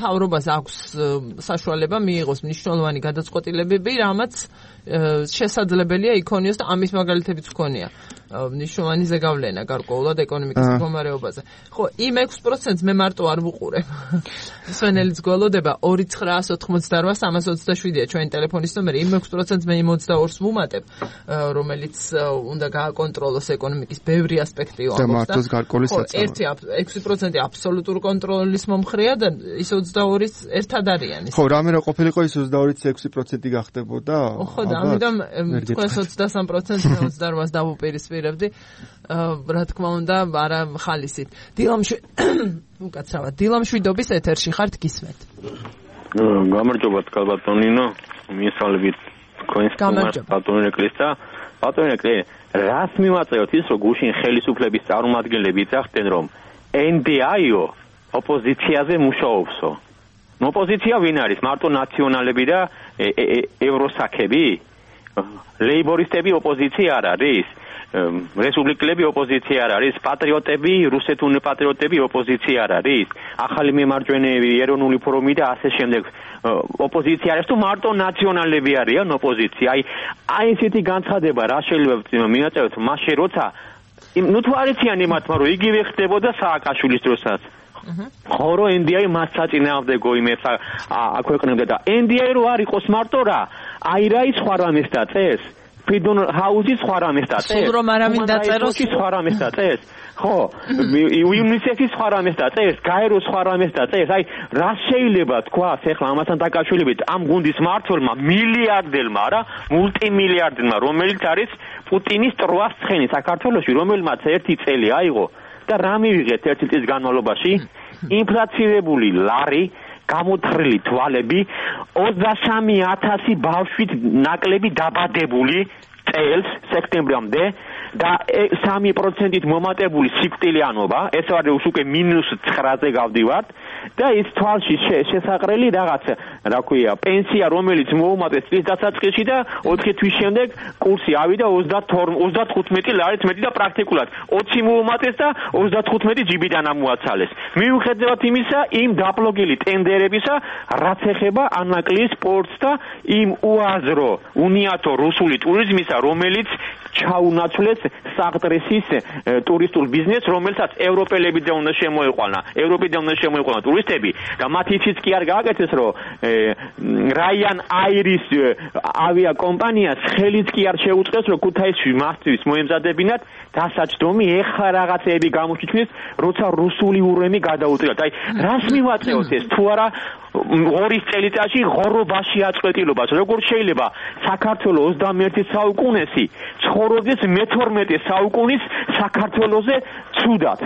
თავრობას აქვს საშუალება მიიღოს მნიშვნელოვანი გადაწყვეტილებები რამაც შესაძლებელია იქონიოს და ამის მაგალითებიც გქონია მნიშვნელოვანი ზეგავლენა გარკვეულად ეკონომიკის მდგომარეობაზე. ხო, იმ ექვს პროცენტს მე მარტო არ ვუყურებ. სვენელიც გველოდება ორი ცხრაას ოთხმოცდაოთხ სამას ოცდაშვიდია ჩვენი ტელეფონის ნომერი. იმ ექვს პროცენტს მე ოცდაორს ვუმატებ, რომელიც უნდა გააკონტროლოს ეკონომიკის ბევრი ასპექტი ამბობს და მართოს გარკვეული საწარმოები. ერთი ექვსი პროცენტი აბსოლუტურ კონტროლის მომხრეა და ის ოცდაორიც ერთად არიან. ხო, რამე რა ყოფილიყო ის ოცდაორიც ექვსი პროცენტი გახდებოდა. ხო, და ამიტომ თქვენს ოცდასამი პროცენტს მე ოცდაოთხს დავუპირისპირებდი. რა თქმა უნდა, არა ხალისით. დილამშვიდ უკაცრავად. დილამშვიდობის ეთერში ხართ გისმენთ. გამარჯობა ბატონინო, მისალებით თქვენს ბატონინო კრისტა. ბატონინო კრი, რას მიმაწევთ ის რომ გუშინ ხელისუფლების წარმომადგენლები იცახდნენ რომ ენ დი აი-ო ოპოზიციაზე მუშაობსო. ოპოზიცია ვინ არის? მარტო ნაციონალები და ევროსაქები? ლეიბორისტები ოპოზიცია არ არის? რესპუბლიკელები ოპოზიცია არ არის, პატრიოტები, რუსეთუნი პატრიოტები ოპოზიცია არ არის, ახალი მემარჯვენეები, ეროვნული ფორუმი და ასე შემდეგ ოპოზიცია არის თუ მარტო ნაციონალები არიან ოპოზიცია. აი, აი ესეთი განცხადება რა შეიძლება მიაწევთ მასე როცა ნუ თუ არ იციან იმათ, რომ იგივე ხდებოდა სააკაშვილის დროსაც. ხო რომ ენ დი აი მას საწინააღმდეგო იმებს აქვეყნებდა და ენ დი აი რო არ იყოს მარტო რა, აი რა ის სხვა რამეს დაწეს. ფრიდონ ჰაუსის სხვა რამეს დაწერს. სულ რომ არავინ დაწეროს სხვა რამეს დაწერს. ხო, იუნისეფის სხვა რამეს დაწერს, გაეროს სხვა რამეს დაწერს. აი, რა შეიძლება თქვას ახლა ამასთან დაკავშირებით ამ გუნდის მმართველმა მილიარდელმა, რა, მულტიმილიარდელმა, რომელიც არის პუტინის ტროას ცხენი საქართველოში, რომელმაც ერთი წელი აიღო და რა მივიღეთ ერთი წლის განმავლობაში? ინფლაციირებული ლარი, გამოთხრილი თვალები, ოცდასამი ათასი ბავშვით ნაკლები დაბადებული წელს სექტემბრამდე და სამი პროცენტით მომატებული სიკვდილიანობა, ეს არის უკვე მინუს ცხრაზე გავდივართ და ის თვალში შესაყრელი რაღაც, რა ქვია, პენსია, რომელიც მოუმატეს წლის დასაწყისში და ოთხი თვის შემდეგ კურსი ავიდა ოცდათხუთმეტი ლარით მეტი და პრაქტიკულად ოცი მოუმატეს და ოცდათხუთმეტი ჯიბიდან ამოაცალეს. მიუხედავად იმისა, იმ დაპლოგილი ტენდერებისა, რაც ეხება ანაკლის სპორტს და იმ უაზრო, უნიათო რუსული ტურიზმისა, რომელიც ჩაუნაცვლეს საღდრესის ტურისტულ ბიზნესს, რომელსაც ევროპელებიდან უნდა შემოიყვანა, ევროპიდან უნდა შემოიყვანა ტურისტები და მათ იცით კი არ გააკეთეს, რომ რაიან აირის ავიაკომპანიას ხელიც კი არ შეუწყეს, რომ ქუთაისში მასთვის მოემზადებინათ დასაჯდომი, ეხლა რაღაცეები გამოჩვენეს, როცა რუსული ურემი გადაუწევთ. აი, რას მივაწევთ ეს თუ არა ორი წელიწადში ღორობაში აწყვეტილობას? როგორ შეიძლება საქართველოს ოცდამეერთე საუკუნეში ცხოვრობდეს მეთორმეტე საუკუნის საქართველოზე ცუდად?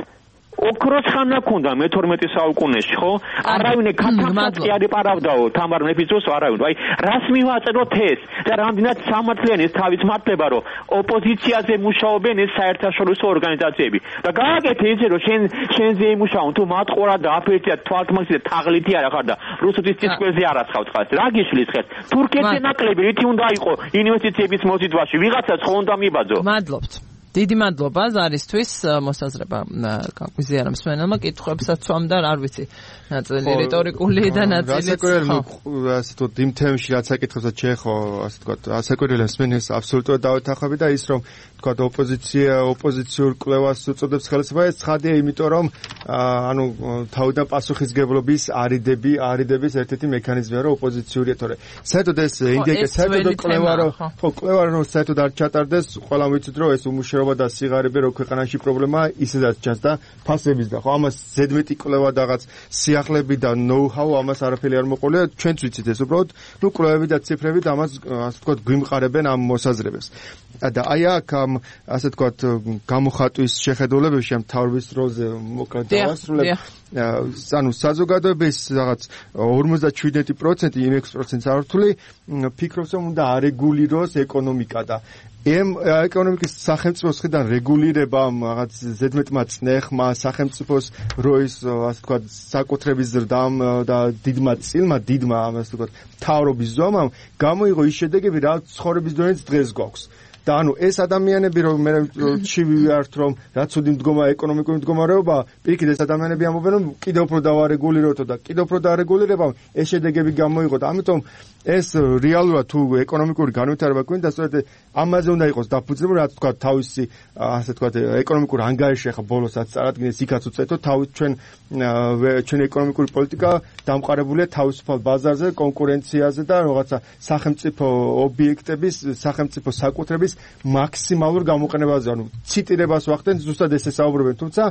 ოქროს ხანა ქონდა მეთორმეტე საუკუნეში, ხო? არავინ ქათამსაც კი არ ეპარავდაო თამარ მეფის დროს, არავინ. აი, რას მივაწედოთ ეს? და რამდენად სამართლიანი ეს თავის მართლება, რომ ოპოზიციაზე მუშაობენ ეს საერთაშორისო ორგანიზაციები. და გააკეთე ისე, რომ შენ შენზე იმუშაონ, თუ მატყორა და აფერტია თვალთმაქსი და თაღლითი არა ხარ და რუსეთის წისკველზე არ ასხავ წყალს. რა გიშლის ხეთ? თურქეთზე ნაკლები რითი უნდა იყო ინვესტიციების მოზიდვაში? ვიღაცას ხო უნდა მიბაძო? მადლობთ. დიდი მადლობა ზარისთვის მოსაზრება გაგვიზიარა მსმენელმა კითხვებსაც სვამ და არ ვიცი ნაწილი რიტორიკული და ნაწილი ასე თუ იმ თემში რაც აკითხებსაც შეხო ასე თქვა ასაკურელი მსმენელს აბსოლუტურად დავეთანხმები და ის რომ თქვა ოპოზიცია ოპოზიციურ კვლევას უწოდებს ხელისუფლება ეს ცხადია იმიტომ რომ ანუ თავიდან პასუხისგებლობის არიდები არიდების ერთ-ერთი მექანიზმია რომ ოპოზიციური თორე საერთოდ ეს ინგეკე საერთოდ კვლევა რომ ხო კვლევა რომ საერთოდ არ ჩატარდეს ყველა ვიცით რომ ეს უმუშევრობა და სიღარიბე რო ქვეყანაში პრობლემაა ისედაც ჩანს და ფასების და ხო ამას ზედმეტი კვლევა და რაღაც სიახლეები და ნოუ-ჰაუ ამას არაფერი არ მოყოლია ჩვენც ვიცით ეს უბრალოდ ნუ კვლევები და ციფრები და ამას ასე ვთქვათ გვიმყარებენ ამ მოსაზრებას და აი აქ ამ ასე ვთქვათ გამოხატვის შეხედულებებში ამ თავის როლზე მოკლედ დავასრულებ ანუ საზოგადოების რაღაც ორმოცდაშვიდ პროცენტი იმ ექვსი პროცენტს არართული ფიქრობს რომ უნდა არეგულიროს ეკონომიკა და ემ ეკონომიკის სახელმწიფოს მხრიდან რეგულირება რაღაც ზედმეტმა წნეხმა სახელმწიფოს როის ასე ვთქვათ საკუთრების ზრდამ და დიდმა წილმა დიდმა ასე ვთქვათ თავრობის ზომამ გამოიღო ის შედეგები რაც ცხოვრების დონეც დღეს გვაქვს და ანუ ეს ადამიანები რომ მე ჩივიართ რომ რაც უდიმ მდგომა ეკონომიკური მდგომარეობა პირიქით ეს ადამიანები ამბობენ რომ კიდევ უფრო დავარეგულიროთო და კიდევ უფრო დაარეგულირებამ ეს შედეგები გამოიღო და ამიტომ ეს რეალურად თუ ეკონომიკური განვითარება გვინდა სწორედ ამაზე უნდა იყოს დაფუძნებული რაც თქვა თავისი ასე თქვა ეკონომიკური ანგარიში ახლა ბოლოსაც წარადგინეს იქაც უწეთო თავის ჩვენ ჩვენ ეკონომიკური პოლიტიკა დამყარებულია თავისუფალ ბაზარზე კონკურენციაზე და რაღაცა სახელმწიფო ობიექტების სახელმწიფო საკუთრების მაქსიმალურ გამოყენებაზე ანუ ციტირებას ვახდენ ზუსტად ესე საუბრობენ თუმცა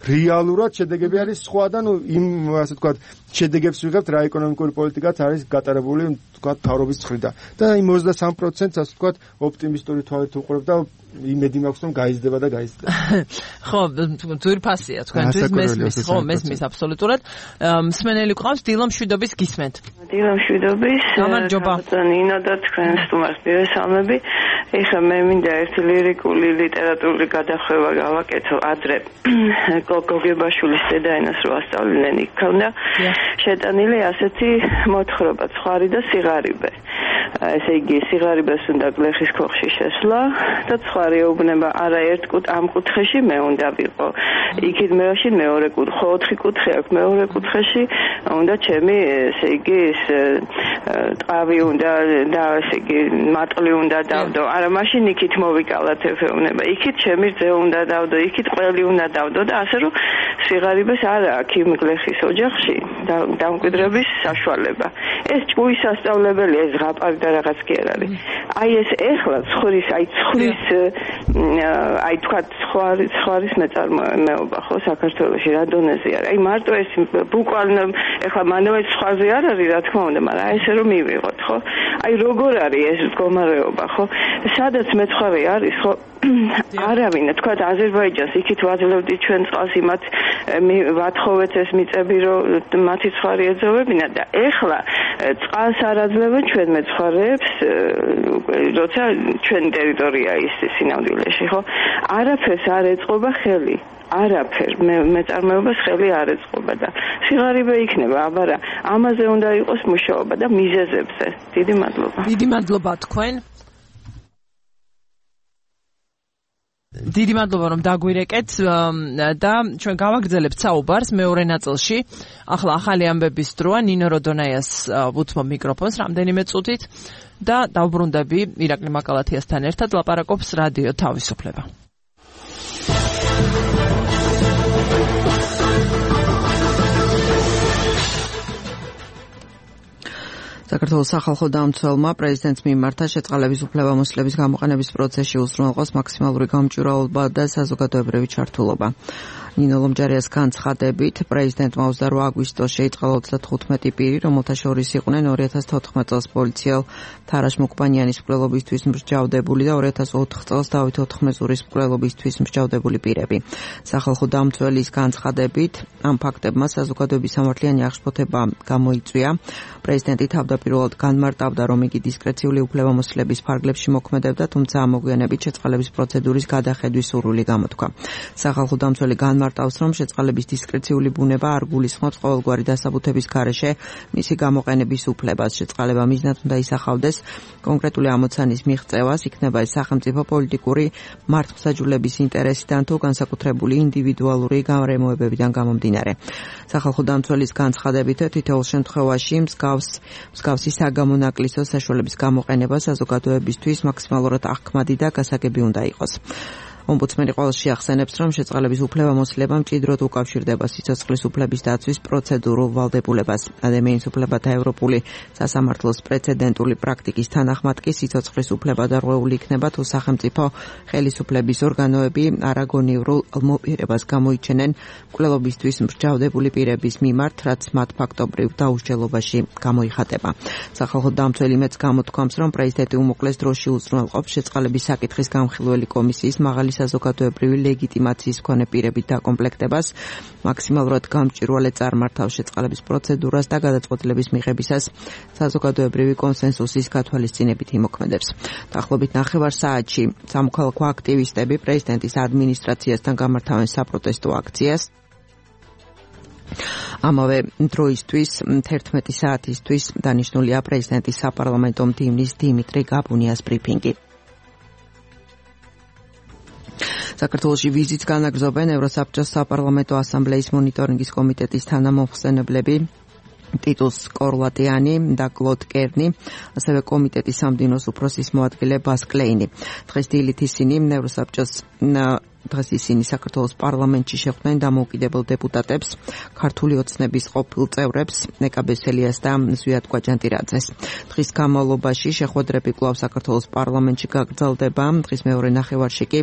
რეალურად შედეგები არის სხვა და ნუ იმ ასე თქვა შედეგებს ვიღებთ რა ეკონომიკური პოლიტიკაც არის გატარებული თქვა თავრობის მხრიდან და იმ ოცდასამი პროცენტს ასე თქვა ოპტიმისტური თვალით უყურებ და იმედი მაქვს რომ გაიზრდება და გაიზრდება. ხო, ძვირფასია თქვენთვის მესმის, ხო, მესმის აბსოლუტურად. მსმენელი ყავს დილა მშვიდობის გისმენთ. დილა მშვიდობის. გამარჯობა. ნინა და თქვენ სტუმარს მივესალმები. ეხლა მე მინდა ერთი ლირიკული ლიტერატურული გადახვევა გავაკეთო ადრე გოგებაშვილის დედაენას რო ასწავლიდნენ იქ ქონდა შეტანილი ასეთი მოთხრობა ცხარი და სიღარიბე. ესე იგი სიღარიბეს უნდა გლეხის ქოხში შესვლა და ცხარი ეუბნება არა ერთ კუთ ამ კუთხეში მე უნდა ვიყო. იქით მეში მეორე კუთხე, ოთხი კუთხე აქვს მეორე კუთხეში უნდა ჩემი ესე იგი ეს ტყავი უნდა და ესე იგი მატყლი უნდა დავდო. არა მაშინ იქით მოვიკალათ ეუბნება. იქით ჩემი რძე უნდა დავდო, იქით ყველი უნდა დავდო და ასე რომ სიღარიბეს არა აქვს იმ გლეხის ოჯახში დამკვიდრების საშუალება. ეს ჭუის სასწავლებელია, ეს ზღაპარი და რაღაც კი არ არის. აი ეს ეხლა ცხრის, აი ცხრის აი თქვა ცხრის ცხრის მეწარმოება ხო საქართველოში რა დონეზე არის. აი მარტო ეს ბუკვალ ეხლა მანავე ცხაზე არ არის რა თქმა უნდა, მაგრამ აი ესე რომ მივიღოთ ხო? აი როგორ არის ეს მდგომარეობა ხო? სადაც მეცხარე არის ხო? არავინ თქვა აზერბაიჯანს იქით ვაძლევდი ჩვენ წყალს იმათ ვათხოვეთ ეს მიწები რომ მათი ცხარი ეძოვებინა და ეხლა წყალს არ აძლევენ ჩვენ მეცხარეებს როცა ჩვენი ტერიტორია ის სინამდვილეში ხო არაფერს არ ეწყობა ხელი არაფერ მე მეწარმეობას ხელი არ ეწყობა და სიღარიბე იქნება აბარა ამაზე უნდა იყოს მუშაობა და მიზეზებზე დიდი მადლობა დიდი მადლობა თქვენ დიდი მადლობა რომ დაგვირეკეთ და ჩვენ გავაგრძელებთ საუბარს მეორე ნაწილში ახლა ახალი ამბების დროა ნინო როდონაიას ვუთმობ მიკროფონს რამდენიმე წუთით და დავბრუნდები ირაკლი მაკალათიასთან ერთად ლაპარაკობს რადიო თავისუფლება საქართველოს სახალხო დამცველმა პრეზიდენტს მიმართა შეწყალების უფლებამოსილების გამოყენების პროცესში უზრუნველყოს მაქსიმალური გამჭვირვალობა და საზოგადოებრივი ჩართულობა. ნინო ლომჯარიას განცხადებით პრეზიდენტმა ოცდაორ აგვისტოს შეიწყალა ოცდათხუთმეტი პირი, რომელთა შორის იყვნენ ორი ათას თოთხმეტ წელს პოლიციელ თარაშ მუკბანიანის მკვლელობისთვის მსჯავრდებული და ორი ათას ოთხ წელს დავით ოთხმეზურის მკვლელობისთვის მსჯავრდებული პირები. სახალხო დამცველის განცხადებით ამ ფაქტებმა საზოგადოების სამართლიანი აღშფოთება გამოიწვია. პრეზიდენტი თავდაპირველად განმარტავდა, რომ იგი დისკრეციული უფლებამოსილების ფარგლებში მოქმედებდა, თუმცა ამოგვიანებით შეწყალების პროცედურის გადახედვის სურვილი გამოთქვა. სახალხო დამცველი განმარტავს, რომ შეწყალების დისკრეციული ბუნება არ გულისხმობს ყოველგვარი დასაბუთების გარეშე მისი გამოყენების უფლებას. შეწყალება მიზნად უნდა ისახავდეს კონკრეტული ამოცანის მიღწევას, იქნება ეს სახელმწიფო პოლიტიკური მართლმსაჯულების ინტერესიდან თუ განსაკუთრებული ინდივიდუალური გარემოებებიდან გამომდინარე. სახალხო დამცველის განცხადებით თითოეულ შემთხვევაში მსგავს მსგავსი საგამონაკლისო საშუალების გამოყენება საზოგადოებისთვის მაქსიმალურად აღქმადი და გასაგები უნდა იყოს. ომბუდსმენი ყოველში ახსენებს, რომ შეწყალების უფლებამოსილება მჭიდროდ უკავშირდება სიცოცხლის უფლების დაცვის პროცედურულ ვალდებულებას. ადამიანის უფლებათა ევროპული სასამართლოს პრეცედენტული პრაქტიკის თანახმად კი სიცოცხლის უფლება დარღვეული იქნება, თუ სახელმწიფო ხელისუფლების ორგანოები არაგონივრულ მოპირებას გამოიჩენენ მკვლელობისთვის მსჯავრდებული პირების მიმართ, რაც მათ ფაქტობრივ დაუსჯელობაში გამოიხატება. სახალხო დამცველი მეც გამოთქვამს, რომ პრეზიდენტი უმოკლეს დროში უზრუნველყოფს შეწყალების საკითხის გამხილველი კომისიის მაღალი საზოგადოებრივი ლეგიტიმაციის მქონე პირებით დაკომპლექტებას, მაქსიმალურად გამჭვირვალე წარმართავს შეწყალების პროცედურას და გადაწყვეტილების მიღებისას საზოგადოებრივი კონსენსუსის გათვალისწინებით იმოქმედებს. დაახლოებით ნახევარ საათში სამოქალაქო აქტივისტები პრეზიდენტის ადმინისტრაციასთან გამართავენ საპროტესტო აქციას. ამავე დროისთვის თერთმეტი საათისთვის დანიშნულია პრეზიდენტის საპარლამენტო მდივნის დიმიტრი გაბუნიას ბრიფინგი. საქართველოში ვიზიტს განაგრძობენ ევროსაბჭოს საპარლამენტო ასამბლეის მონიტორინგის კომიტეტის თანამომხსენებლები ტიტუს კორლატიანი და კლოდ კერნი, ასევე კომიტეტის სამდინოს უფროსის მოადგილე ბას კლეინი. დღეს დილით ისინი ევროსაბჭოს დღეს ისინი საქართველოს პარლამენტში შეხვდნენ დამოუკიდებელ დეპუტატებს, ქართული ოცნების ყოფილ წევრებს, ნეკაბეს ელიას და ზვიად კვაჯანტირაძეს. დღის განმავლობაში შეხვედრები კვლავ საქართველოს პარლამენტში გაგრძელდება. დღის მეორე ნახევარში კი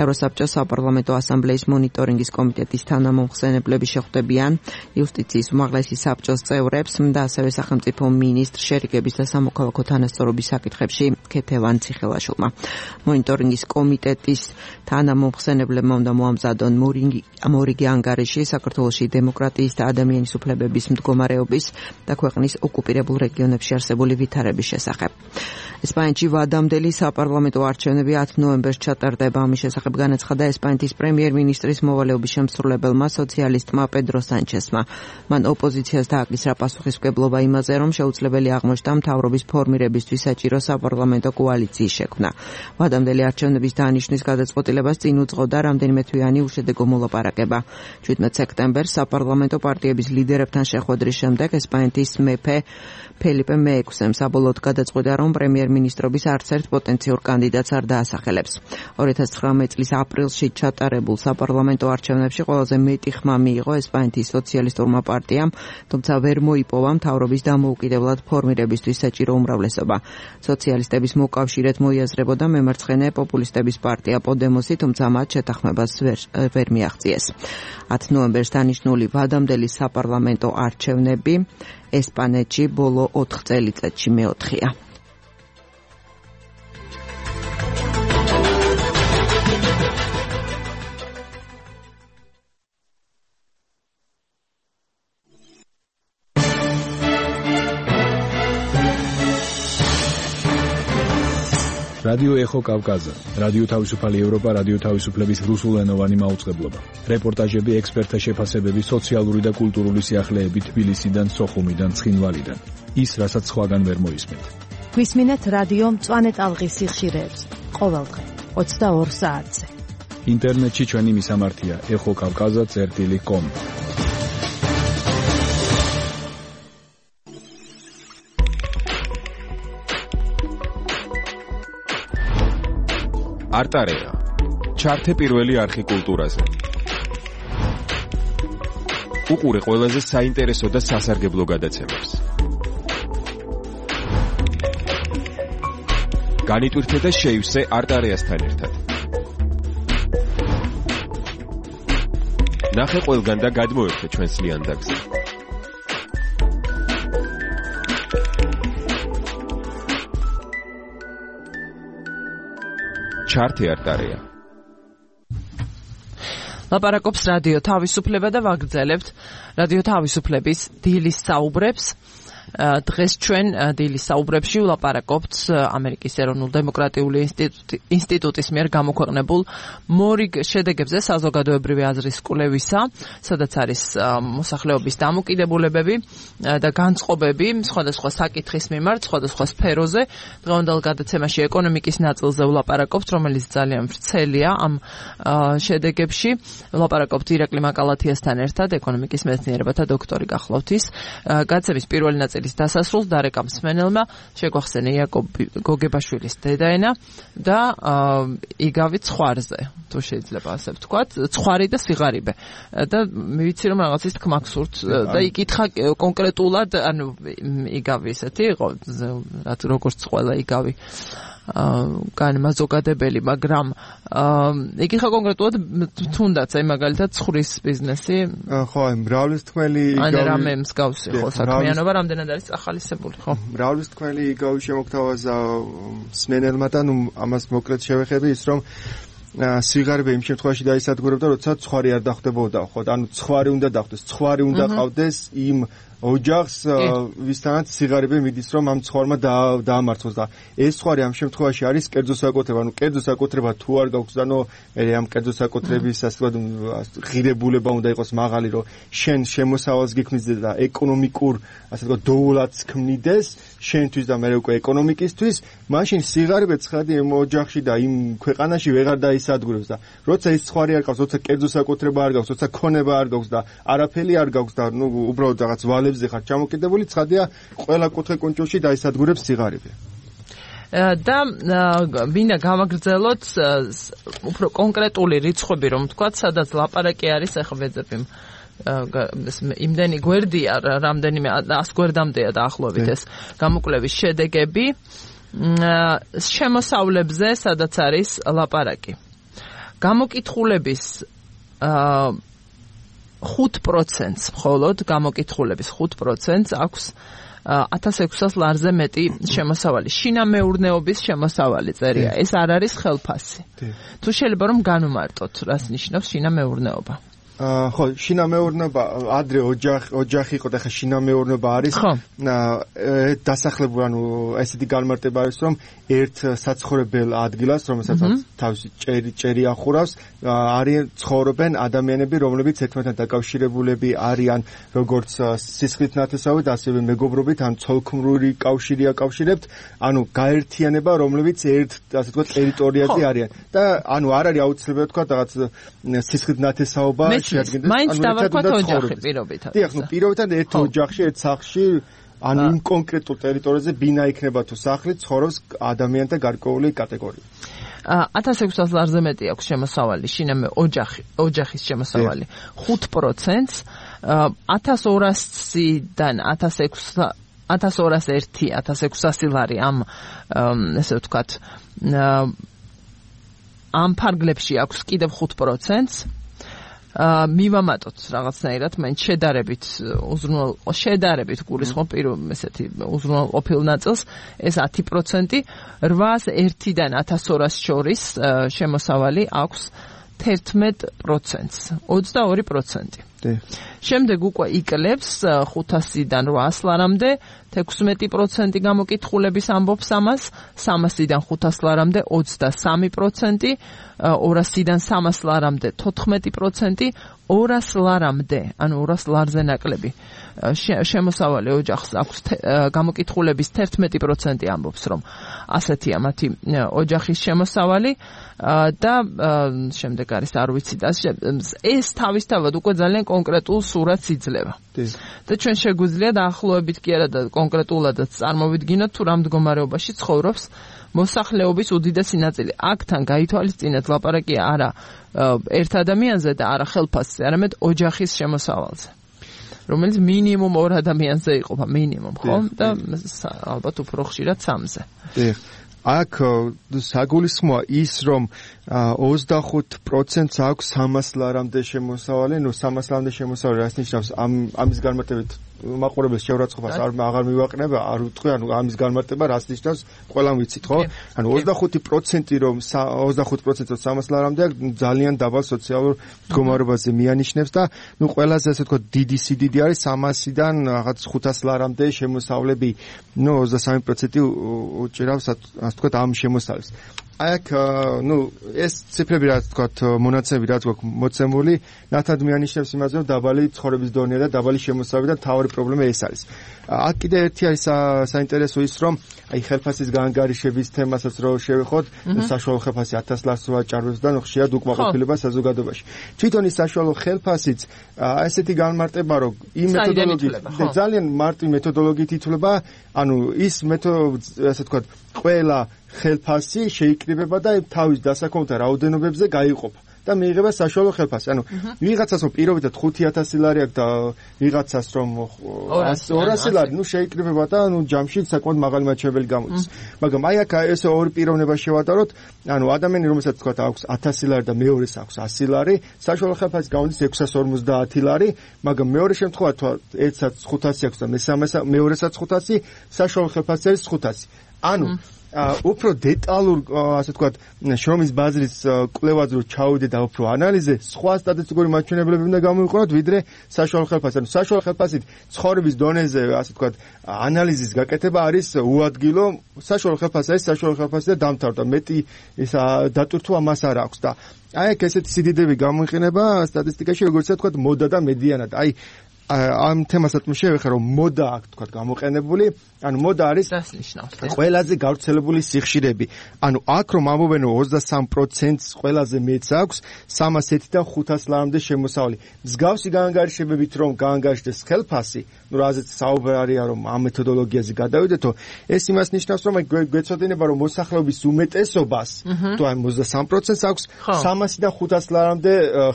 ევროსაბჭოს საპარლამენტო ასამბლეის მონიტორინგის კომიტეტის თანამომხსენებლები შეხვდებიან იუსტიციის უმაღლესი საბჭოს წევრებს და ასევე სახელმწიფო მინისტრ შერიგების და სამოქალაქო თანასწორობის საკითხებში ქეთევან ციხელაშვილმა. მონიტორინგის კომიტეტის თანამომხსენებლები ხსენებლებმა უნდა მოამზადონ მორიგი ანგარიში საქართველოში დემოკრატიის და ადამიანის უფლებების მდგომარეობის და ქვეყნის ოკუპირებულ რეგიონებში არსებული ვითარების შესახებ. ესპანეთში ვადამდელი საპარლამენტო არჩევნები ათი ნოემბერს ჩატარდება. ამის შესახებ განაცხადა ესპანეთის პრემიერ-მინისტრის მოვალეობის შემსრულებელმა სოციალისტმა პედრო სანჩესმა. მან ოპოზიციას დააკისრა პასუხისმგებლობა იმაზე, რომ შეუძლებელი აღმოჩნდა მთავრობის ფორმირებისთვის საჭირო საპარლამენტო კოალიციის შექმნა. ვადამდელი არჩევნების დანიშვნის გადაწყვეტილებას წინ უძღვა წყოდა რამდენიმე თვიანი უშედეგო მოლაპარაკება. შვიდმეტ სექტემბერს საპარლამენტო პარტიების ლიდერებთან შეხვედრის შემდეგ ესპანეთის მეფე ფელიპე მეექვსემ საბოლოოდ გადაწყვიტა, რომ პრემიერ-მინისტრობის არც ერთ პოტენციურ კანდიდატს არ დაასახელებს. ორი ათას ცხრამეტ წლის აპრილში ჩატარებულ საპარლამენტო არჩევნებში ყველაზე მეტი ხმა მიიღო ესპანეთის სოციალისტურმა პარტიამ, თუმცა ვერ მოიპოვა მთავრობის დამოუკიდებლად ფორმირებისთვის საჭირო უმრავლესობა. სოციალისტების მოკავშირედ მოიაზრებოდა მემარცხენე პოპულისტების პარტია პოდემოსი, თუმცა მათ შეთანხმებას ვერ, ვერ მიაღწიეს. ათი ნოემბერს დანიშნული ვადამდელი საპარლამენტო არჩევნები ესპანეთში ბოლო ოთხ წელიწადში მეოთხეა. რადიო ეხო კავკაზა, რადიო თავისუფალი ევროპა, რადიო თავისუფლების რუსულენოვანი მაუწყებლობა. რეპორტაჟები, ექსპერტთა შეფასებები, სოციალური და კულტურული სიახლეები თბილისიდან, სოხუმიდან, ცხინვალიდან. ის, რასაც სხვაგან ვერ მოისმენთ. გვისმინეთ რადიო მწვანე ტალღის სიხშირეებს ყოველდღე ოცდაორ საათზე. ინტერნეტში ჩვენი მისამართია ეხო კავკაზა წერტილი კომ. არტარეა. ჩართე პირველი არხი კულტურაზე. უყურე ყველაზე საინტერესო და სასარგებლო გადაცემებს. განიტვირთე და შეივსე არტარეასთან ერთად. ნახე ყველგან და გადმოერთე ჩვენს ლიანდაგზე. ჩართე არტარეა. ლაპარაკობს რადიო თავისუფლება და ვაგრძელებთ რადიო თავისუფლების დილის საუბრებს. დღეს ჩვენ დილის საუბრებში ვლაპარაკობთ ამერიკის ეროვნულ დემოკრატიული ინსტიტუტის მიერ გამოქვეყნებულ მორიგ შედეგებზე საზოგადოებრივი აზრის კვლევისა, სადაც არის მოსახლეობის დამოკიდებულებები და განწყობები სხვადასხვა საკითხის მიმართ, სხვადასხვა სფეროზე. დღევანდელ გადაცემაში ეკონომიკის ნაწილზე ვლაპარაკობთ, რომელიც ძალიან ვრცელია ამ შედეგებში. ვლაპარაკობთ ირაკლი მაკალათიასთან ერთად, ეკონომიკის მეცნიერებათა დოქტორი გახლავთ ის. გადაცემის პირველი ნაწილი დასასრულს დარეკა მსმენელმა შეგვახსენა იაკობ გოგებაშვილის დედაენა და იგავი ცხვარზე, თუ შეიძლება ასე ვთქვათ, ცხვარი და სიღარიბე. და ვიცი რომ რაღაცის თქმა გსურთ და იკითხა კონკრეტულად, ანუ იგავი ესეთი იყო, როგორც ყველა იგავი განმაზოგადებელი, მაგრამ იკითხა კონკრეტულად თუნდაც აი მაგალითად ცხრის ბიზნესი. ხო, აი მრავლისთქმელი იგავი. ან რამე მსგავსი ხო საქმიანობა რამდენად არის ახალისებული, ხო? მრავლისთქმელი იგავი შემოგთავაზა მსმენელმა და ნუ ამას მოკლედ შევეხები ის რომ სიღარიბე იმ შემთხვევაში დაისადგურებდა, როცა ცხარი არ დახვდებოდა, ხო? ანუ ცხარი უნდა დახვდეს, ცხარი უნდა ყავდეს იმ ოჯახს, ვისთანაც სიღარიბე მიდის, რომ ამ ცხარმა დაამარცხოს და ეს ცხარი ამ შემთხვევაში არის კერძო საკუთრება, ანუ კერძო საკუთრება თუ არ გაქვს, ანუ მე ამ კერძო საკუთრების ასე ვთქვათ ღირებულება უნდა იყოს მაღალი, რომ შენ შემოსავალს გიქმნიდეს და ეკონომიკურ ასე ვთქვათ დოულადს ქმნიდეს შენთვის და მე უკვე ეკონომიკისთვის, მაშინ სიღარიბე ცხადი იმ ოჯახში და იმ ქვეყანაში ვეღარ დაისადგურებს და როცა ის ცხარი არ ყავს, როცა კერძო საკუთრება არ გაქვს, როცა ქონება არ გაქვს და არაფერი არ გაქვს და ნუ უბრალოდ რაღაც ვალებზე ხარ ჩამოკიდებული, ცხადია ყველა კუთხე-კუნჭულში დაისადგურებს სიღარიბე. და ვინა გამაგრძელოთ უფრო კონკრეტული რიცხვები, რომ ვთქვათ, სადაც ლაპარაკი არის, ახლა ვეძებ იმ იმდენი გვერდია, რამდენიმე ას გვერდამდეა დაახლოებით ეს გამოკვლევის შედეგები შემოსავლებზე, სადაც არის ლაპარაკი. გამოკითხულების ხუთ პროცენტს მხოლოდ გამოკითხულების ხუთ პროცენტს აქვს ათას ექვსას ლარზე მეტი შემოსავალი. შინამეურნეობის შემოსავალი წერია. ეს არ არის ხელფასი. თუ შეიძლება რომ განუმარტოთ, რას ნიშნავს შინამეურნეობა. ხო, შინამეურნეობა ადრე ოჯახი ოჯახი იყო და ხა შინამეურნეობა არის. დასახლებული, ანუ ესეთი განმარტება არის, რომ ერთ საცხოვრებელ ადგილას, რომელსაც თავისი ჭერი ჭერი ახურავს, არიან ცხოვრობენ ადამიანები, რომლებიც ერთმანეთთან დაკავშირებულები არიან, როგორც სისხლით ნათესავით, ასევე მეგობრობით, ან ცოლქმრული კავშირი აკავშირებთ, ანუ გაერთიანება, რომლებიც ერთ, ასე ვთქვათ, ტერიტორიაზე არიან. და ანუ არ არის აუცილებელი თქვა რაღაც სისხლით ნათესაობა შეადგენდეს. მაინც დავარქვათ ოჯახი პირობითად. დიახ, ნუ პირობითად ერთ ოჯახში, ერთ სახლში, ანუ იმ კონკრეტულ ტერიტორიაზე ბინა იქნება თუ სახლი, ცხოვრობს ადამიანთა გარკვეული კატეგორია. ათას ექვსას ლარზე მეტი აქვს შემოსავალი, შინამე ოჯახი, ოჯახის შემოსავალი ხუთ პროცენტს, ათას ორასიდან ათას ორასი, ათას ექვსასი ლარი ამ ესე ვთქვათ ამ ფარგლებში აქვს კიდევ ხუთ პროცენტს. მივამატოთ რაღაცნაირად, მაინც შედარებით უზრუნვალ შედარებით გულისხმობ პირველ ესეთი უზრუნვალყოფილ ნაწილს, ეს ათი პროცენტი, რვას ერთიდან ათას ორასს შორის შემოსავალი აქვს თერთმეტ პროცენტს, ოცდაორი პროცენტი. შემდეგ უკვე იკლებს ხუთასიდან რვას ლარამდე თექვსმეტი პროცენტი გამოკითხულების ამბობს ამას, სამასიდან ხუთას ლარამდე ოცდასამი პროცენტი, ორასიდან სამას ლარამდე თოთხმეტი პროცენტი, ორას ლარამდე, ანუ ორას ლარზე ნაკლები შემოსავალი ოჯახს აქვს გამოკითხულების თერთმეტი პროცენტი ამბობს, რომ ასეთია მათი ოჯახის შემოსავალი და შემდეგ არის არ ვიცი და ეს თავისთავად უკვე ძალიან კონკრეტულ სურათს იძლევა. და ჩვენ შეგვიძლია დაახლოებით კი არა და კონკრეტულადაც წარმოვიდგინოთ თუ რა მდგომარეობაში ცხოვრობს მოსახლეობის უდიდესი ნაწილი. აქთან გაითვალისწინეთ ლაპარაკია არა ერთ ადამიანზე და არა ხელფასზე, არამედ ოჯახის შემოსავალზე, რომელიც მინიმუმ ორ ადამიანზე იყოფა, მინიმუმ, ხო? და ალბათ უფრო ხშირად სამზე. აქ საგულისხმოა ის, რომ ოცდახუთ პროცენტს აქვს სამას ლარამდე შემოსავალი, ნუ სამას ლარამდე შემოსავალი რას ნიშნავს? ამ ამის განმარტებით მაყურებელს შეურაცხყოფას არ აღარ მივაყენება, არ ვიტყვი, ანუ ამის განმარტება რას ნიშნავს, ყველამ ვიცით, ხო? ანუ ოცდახუთი პროცენტი რომ ოცდახუთ პროცენტს სამას ლარამდე ძალიან დაბალ სოციალურ მდგომარეობაზე მიანიშნებს და ნუ ყველაზე ასე ვთქვათ დიდი სიდიდი არის სამასიდან რაღაც ხუთას ლარამდე შემოსავლები, ნუ ოცდასამი პროცენტი უჭირავს ასე ვთქვათ ამ შემოსავლებს. აქ ნუ ეს ციფრები რაც ვთქვათ მონაცემები რაც გვაქვს მოცემული ნათად მიანიშნებს იმაზე რომ დაბალი ცხოვრების დონეა და დაბალი შემოსავალი და თავი პრობლემა ეს არის. აქ კიდე ერთი არის საინტერესო ის რომ აი ხელფასის გაანგარიშების თემასაც რო შევეხოთ, საშუალო ხელფასი ათას ლარს ვაჭარბებს და ნუ ხშირად უკმაყოფილება საზოგადოებაში. თვითონ ის საშუალო ხელფასიც ესეთი განმარტება რომ იმ მეთოდოლოგიით ძალიან მარტივი მეთოდოლოგიით ითვლება, ანუ ის მეთოდი ასე ვთქვათ ყველა ხელფასი შეიკრიბება და თავის დასაქმებთან რაოდენობებზე გაიყოფა და მიიღება საშუალო ხელფასი. ანუ ვიღაცას რომ პირობითად ხუთი ათასი ლარი აქვს და ვიღაცას რომ ორასი ლარი, ნუ შეიკრიბება და ნუ ჯამში საკმაოდ მაღალი მაჩვენებელი გამოდის. მაგრამ აი აქ ეს ორი პიროვნება შევატაროთ, ანუ ადამიანი რომელსაც თქვა აქვს ათასი ლარი და მეორეს აქვს ასი ლარი, საშუალო ხელფასი გამოდის ექვსას ორმოცდაათი ლარი, მაგრამ მეორე შემთხვევაში თუ ერთსაც ხუთასი აქვს და მესამეს მეორესაც ხუთასი, საშუალო ხელფასი არის ხუთასი. ანუ უფრო დეტალურ ასე ვთქვათ შრომის ბაზრის კვლევაზე რო ჩავიდე და უფრო ანალიზე სხვა სტატისტიკური მაჩვენებლები უნდა გამოვიყენოთ ვიდრე საშუალო ხელფასი. ანუ საშუალო ხელფასით ცხოვრების დონეზე ასე ვთქვათ ანალიზის გაკეთება არის უადგილო. საშუალო ხელფასი არის საშუალო ხელფასი და დამთავრდა. მეტი ეს დატვირთვა მას არ აქვს და აი აქ ესეთი სიდიდები გამოიყენება სტატისტიკაში როგორც ვთქვათ მოდა და მედიანად. აი ამ თემასაც მოვიხე რომ მოდა აქ თქვათ გამოყენებული, ანუ მოდა არის ყველაზე გავრცელებული სიხშირები. ანუ აქ რომ ამბობენ ოცდასამ პროცენტს ყველაზე მეც აქვს სამას ერთიდან ხუთას ლარამდე შემოსავალი. მსგავსი გაანგარიშებებით რომ გაანგარიშდეს ხელფასი, ნუ რაზეც საუბარია რომ ამ მეთოდოლოგიაზე გადავიდეთო, ეს იმას ნიშნავს რომ გვეცოდინება რომ მოსახლეობის უმეტესობას, თუ აი ოცდასამ პროცენტს აქვს სამასიდან ხუთას ლარამდე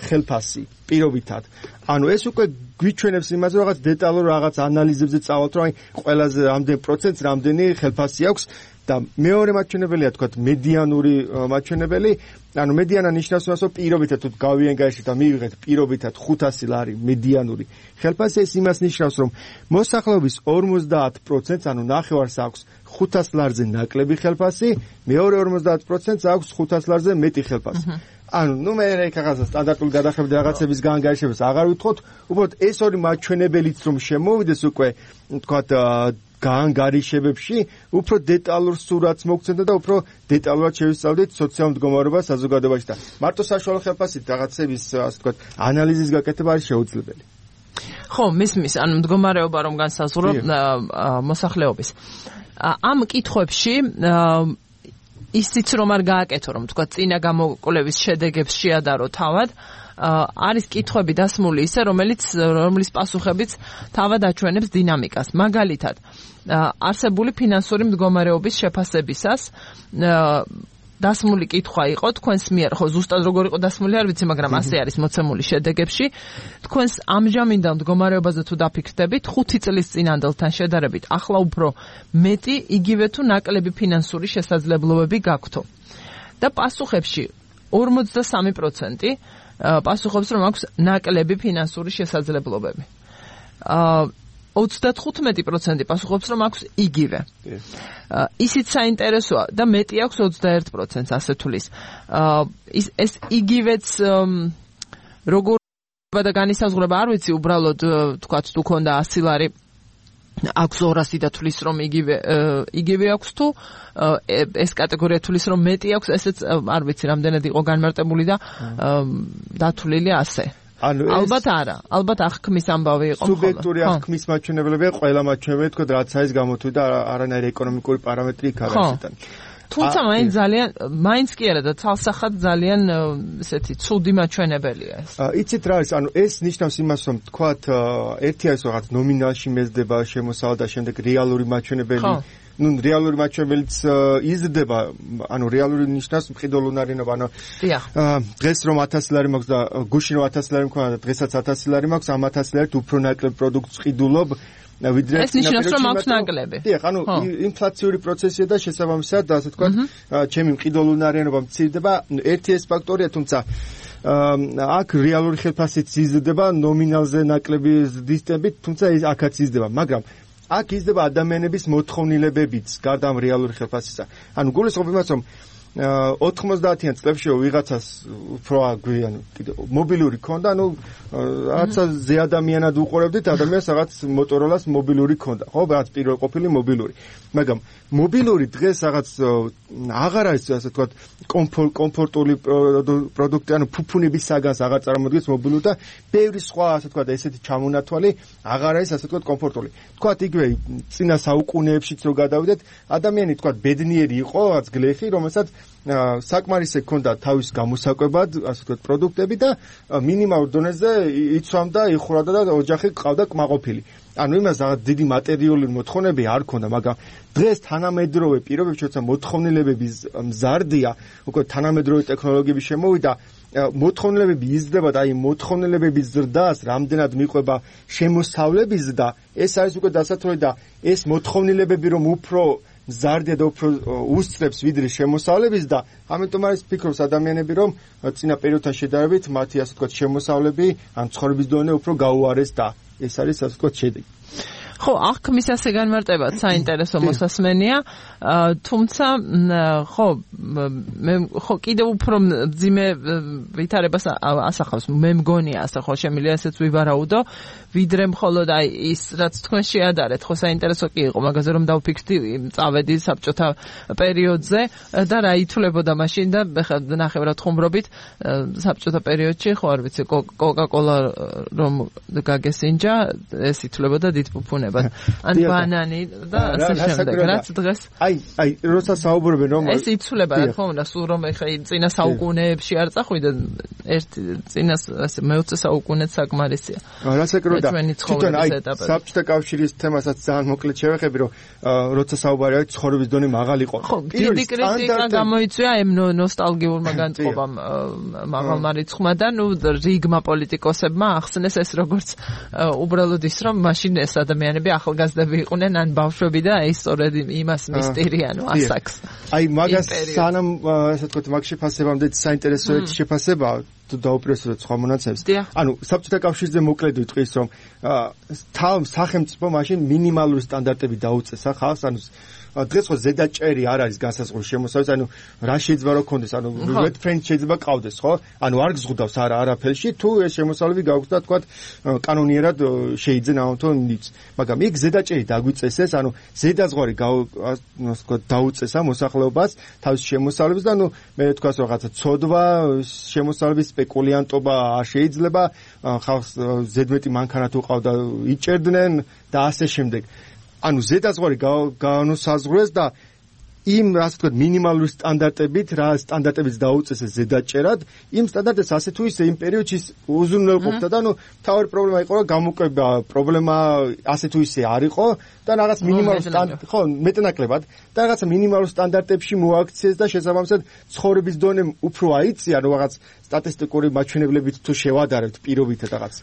ხელფასი პირობითად. ანუ ეს უკვე გვიჩვენებს იმას რომ რაღაც დეტალურ რაღაც ანალიზებზე წავალთ რომ აი ყველაზე რამდენ პროცენტს რამდენი ხელფასი აქვს და მეორე მაჩვენებელია თქვათ მედიანური მაჩვენებელი. ანუ მედიანა ნიშნავს იმას რომ პირობითად თუ გავიენ გაიში და მივიღეთ პირობითად ხუთასი ლარი მედიანური ხელფასი, ეს იმას ნიშნავს რომ მოსახლეობის ორმოცდაათ პროცენტს, ანუ ნახევარს აქვს ხუთას ლარზე ნაკლები ხელფასი, მეორე ორმოცდაათ პროცენტს აქვს ხუთას ლარზე მეტი ხელფასი. ანუ ნუ მე რაღაცა სტანდარტული გადახრები და რაღაცების განგარიშებას აღარ ვითხოვთ, უბრალოდ ეს ორი მაჩვენებელიც რომ შემოვიდეს უკვე თქვათ განგარიშებებში, უფრო დეტალურ სურათს მოგცემდა და უფრო დეტალურად შევისწავლდით სოციალურ მდგომარეობას საზოგადოებაში და მარტო საშუალო ხელფასით რაღაცების ასე ვთქვათ ანალიზის გაკეთება არის შეუძლებელი. ხო, მისმის, ანუ მდგომარეობა რომ განსაზღვრო მოსახლეობის. ამ კითხვებში ისიც რომ არ გააკეთო, რომ თქვა წინა გამოკვლევის შედეგებს შეადარო თავად, არის კითხვები დასმული ისე, რომელიც რომლის პასუხებიც თავად აჩვენებს დინამიკას. მაგალითად, არსებული ფინანსური მდგომარეობის შეფასებისას დასმული კითხვა იყო თქვენს მიერ, ხო ზუსტად როგორ იყო დასმული არ ვიცი, მაგრამ ასე არის მოცემული შედეგებში. თქვენს ამჟამინდელ მდგომარეობაზე თუ დაფიქრდებით, ხუთი წლის წინანდელთან შედარებით, ახლა უფრო მეტი, იგივე თუ ნაკლები ფინანსური შესაძლებლობები გაქვთო. და პასუხებში ორმოცდასამი პროცენტი პასუხობს, რომ აქვს ნაკლები ფინანსური შესაძლებლობები. ოცდათხუთმეტი პროცენტი პასუხობს, რომ აქვს იგივე. ისიც საინტერესოა და მეტი აქვს ოცდაერთ პროცენტს ასე თulis. ეს იგივეც როგორ და განისაზღვრება არ ვიცი, უბრალოდ თქვათ თუ ქონდა ასი ლარი აქვს ორასი და თulis რომ იგივე იგივე აქვს თუ ეს კატეგორია თulis რომ მეტი აქვს, ესეც არ ვიცი რამდენად იყო განმარტებული და დათვლილი ასე. ალბათ არა, ალბათ აღქმის ამბავი იყო. სუბიექტური აღქმის მაჩვენებლებია ყველა მაჩვენებელი, თქო, რაც არის გამოთვლილი და არანაირი ეკონომიკური პარამეტრი იქ არ არის თან. თუმცა მაინც ძალიან, მაინც კი არა და თალსახად ძალიან ესეთი ცუდი მაჩვენებელია ეს. იცით რა არის, ანუ ეს ნიშნავს იმას, რომ თქვათ ერთი არის რაღაც ნომინალში მეზდება შემოსავალ და შემდეგ რეალური მაჩვენებელი ну რეალური მაჩვენებელიც იზრდება, ანუ რეალური ნიშნავს მყიდულ უნარიანობა, ანუ დღეს რომ ათასი ლარი მაქვს და გუშინ რომ ათასი ლარი მქონდა და დღესაც ათასი ლარი მაქვს, ამ ათასი ლარით უფრო ნაკლებ პროდუქტს ყიდულობ, ვიდრე ეს ნიშნავს რომ აქვს ნაკლები. დიახ, ანუ ინფლაციური პროცესია და შესაბამისად, ასე ვთქვათ, ჩემი მყიდულ უნარიანობა მცირდება, ერთი ეს ფაქტორია, თუმცა აქ რეალური ხელფასით იზრდება ნომინალზე ნაკლები ზრდისტებით, თუმცა ის აქაც იზრდება, მაგრამ აქ იზრდება ადამიანების მოთხოვნილებებიც გარდა ამ რეალური ხელფასისა. ანუ გულისხმობ იმას, რომ ოთხმოცდაათიან წლებში ვიღაცას უფრო აგვიანო მობილური ქონდა, ანუ რაღაცა ზე ადამიანად უყურებდით, ადამიანს რაღაც მოტოროლას მობილური ქონდა, ხო, რაღაც პირველ ყოფილი მობილური. მაგრამ მობილური დღეს რაღაც აღარ არის, ასე ვთქვათ, კომფორტული პროდუქტი, ანუ ფუფუნების საგანს აღარ წარმოადგენს მობილური და ბევრი სხვა, ასე ვთქვათ, ესეთი ჩამონათვალი აღარ არის, ასე ვთქვათ, კომფორტული. ვთქვათ, იგივე წინა საუკუნეებშიც რო გადავიდეთ, ადამიანი, ვთქვათ, ბედნიერი იყო, რაღაც გლეხი, რომელსაც საკმარისი ჰქონდა თავის გამოსაკვებად, ასე ვთქვათ, პროდუქტები და მინიმალურ დონეზე იცვამდა, იხუროდა და ოჯახი ყავდა კმაყოფილი. ანუ იმას რაღაც დიდი მატერიალური მოთხოვნები არ ქონდა, მაგრამ დღეს თანამედროვე პირობებში, როცა მოთხოვნილებების მზარდია, უკვე თანამედროვე ტექნოლოგიები შემოვიდა, მოთხოვნილებები იზრდება და აი მოთხოვნილებების ზრდას რამდენად მიყვება შემოსავლების ზრდა, ეს არის უკვე დასათვალე და ეს მოთხოვნილებები რომ უფრო მზარდია და უფრო უსწრებს ვიდრე შემოსავლების და ამიტომ არის ფიქრობს ადამიანები რომ წინა პერიოდთან შედარებით მათი ასე ვთქვათ შემოსავლები ან ცხოვრების დონე უფრო გაუარეს და ეს არის ასე ვთქვათ შედეგი. ხო, აღქმის ასე განმარტება საინტერესო მოსასმენია, თუმცა ხო, მე ხო კიდევ უფრო ძიმე ვითარებას ასახავს, მე მგონია ასე ხო შემიძლია ესეც ვივარაუდო, ვიდრე მხოლოდ აი ის რაც თქვენ შეადარეთ, ხო საინტერესო კი იყო, მაგაზე რომ დავფიქრდი, წავედი საბჭოთა პერიოდზე და რა ითვლებოდა მაშინ და ნახევრად ხუმრობით საბჭოთა პერიოდში, ხო არ ვიცი, კოკა-კოლა რომ გაგესინჯა, ეს ითვლებოდა დიდ ფუფუნებას. ან ბანანი და ასე შემდეგ. რაც დღეს აი, აი, როცა საუბრობენ რომ ეს იცვლება რა თქმა უნდა, სულ რომ ეხა წინა საუკუნეებში არ წახვიდა, ერთი წინა ასე მეოცე საუკუნეც საკმარისია. რასაკრო და თვითონ აი საბჭოთა კავშირის თემასაც ძალიან მოკლედ შევეხები, რომ როცა საუბარი არის ცხოვრების დონე მაღალი იყო. დიდი კრიტიკა გამოიწვია ამ ნოსტალგიურმა განწყობამ მაღალმა რიცხვმა და ნუ რიგმა პოლიტიკოსებმა ახსნეს ეს როგორც უბრალოდ ის რომ მაშინ ეს ადამიანები ახალგაზრდები იყვნენ ან ბავშვები და ეს სწორედ იმას მისტერიანო ასაკს. აი მაგას სანამ ასე ვთქვათ მაგ შეფასებამდე საინტერესო ერთ შეფასება დაუპირისპირდეთ სხვა მონაცემებს. ანუ საბჭოთა კავშირზე მოკლედ ვიტყვის, რომ თავ სახელმწიფო მაშინ მინიმალური სტანდარტები დაუწესა ხალხს, ანუ დღეს ხო ზედაჭერი არ არის განსაზღვრული შემოსავის, ანუ რა შეიძლება რომ კონდეს, ანუ wet friend შეიძლება ყავდეს, ხო? ანუ არ გზღუდავს არა არაფერში, თუ ეს შემოსავლები გაქვს და თქვა კანონიერად შეიძლება ამათო ნიც. მაგრამ იქ ზედაჭერი დაგვიწესეს, ანუ ზედაზღვარი თქვა დაუწესა მოსახლეობას თავის შემოსავლებს და ანუ მე თქვა რაღაცა ცოდვა, შემოსავლების სპეკულიანტობა არ შეიძლება, ხალხს ზედმეტი მანქანა თუ ყავდა იჭერდნენ და ასე შემდეგ. ანუ ზედაზღვარი განუსაზღვრეს და იმ ასე ვთქვათ მინიმალური სტანდარტებით, რა სტანდარტებიც დაუწესეს ზედაჭერად, იმ სტანდარტებს ასე თუ ისე იმ პერიოდში უზრუნველყოფდა და ანუ თავი პრობლემა იყო, რომ გამოკვება პრობლემა ასე თუ ისე არ იყო და რაღაც მინიმალურ სტანდარტ ხო მეტნაკლებად და რაღაც მინიმალურ სტანდარტებში მოაქციეს და შესაბამისად ცხოვრების დონე უფრო აიწია, რომ რაღაც სტატისტიკური მაჩვენებლებით თუ შევადარებთ პირობითად რაღაც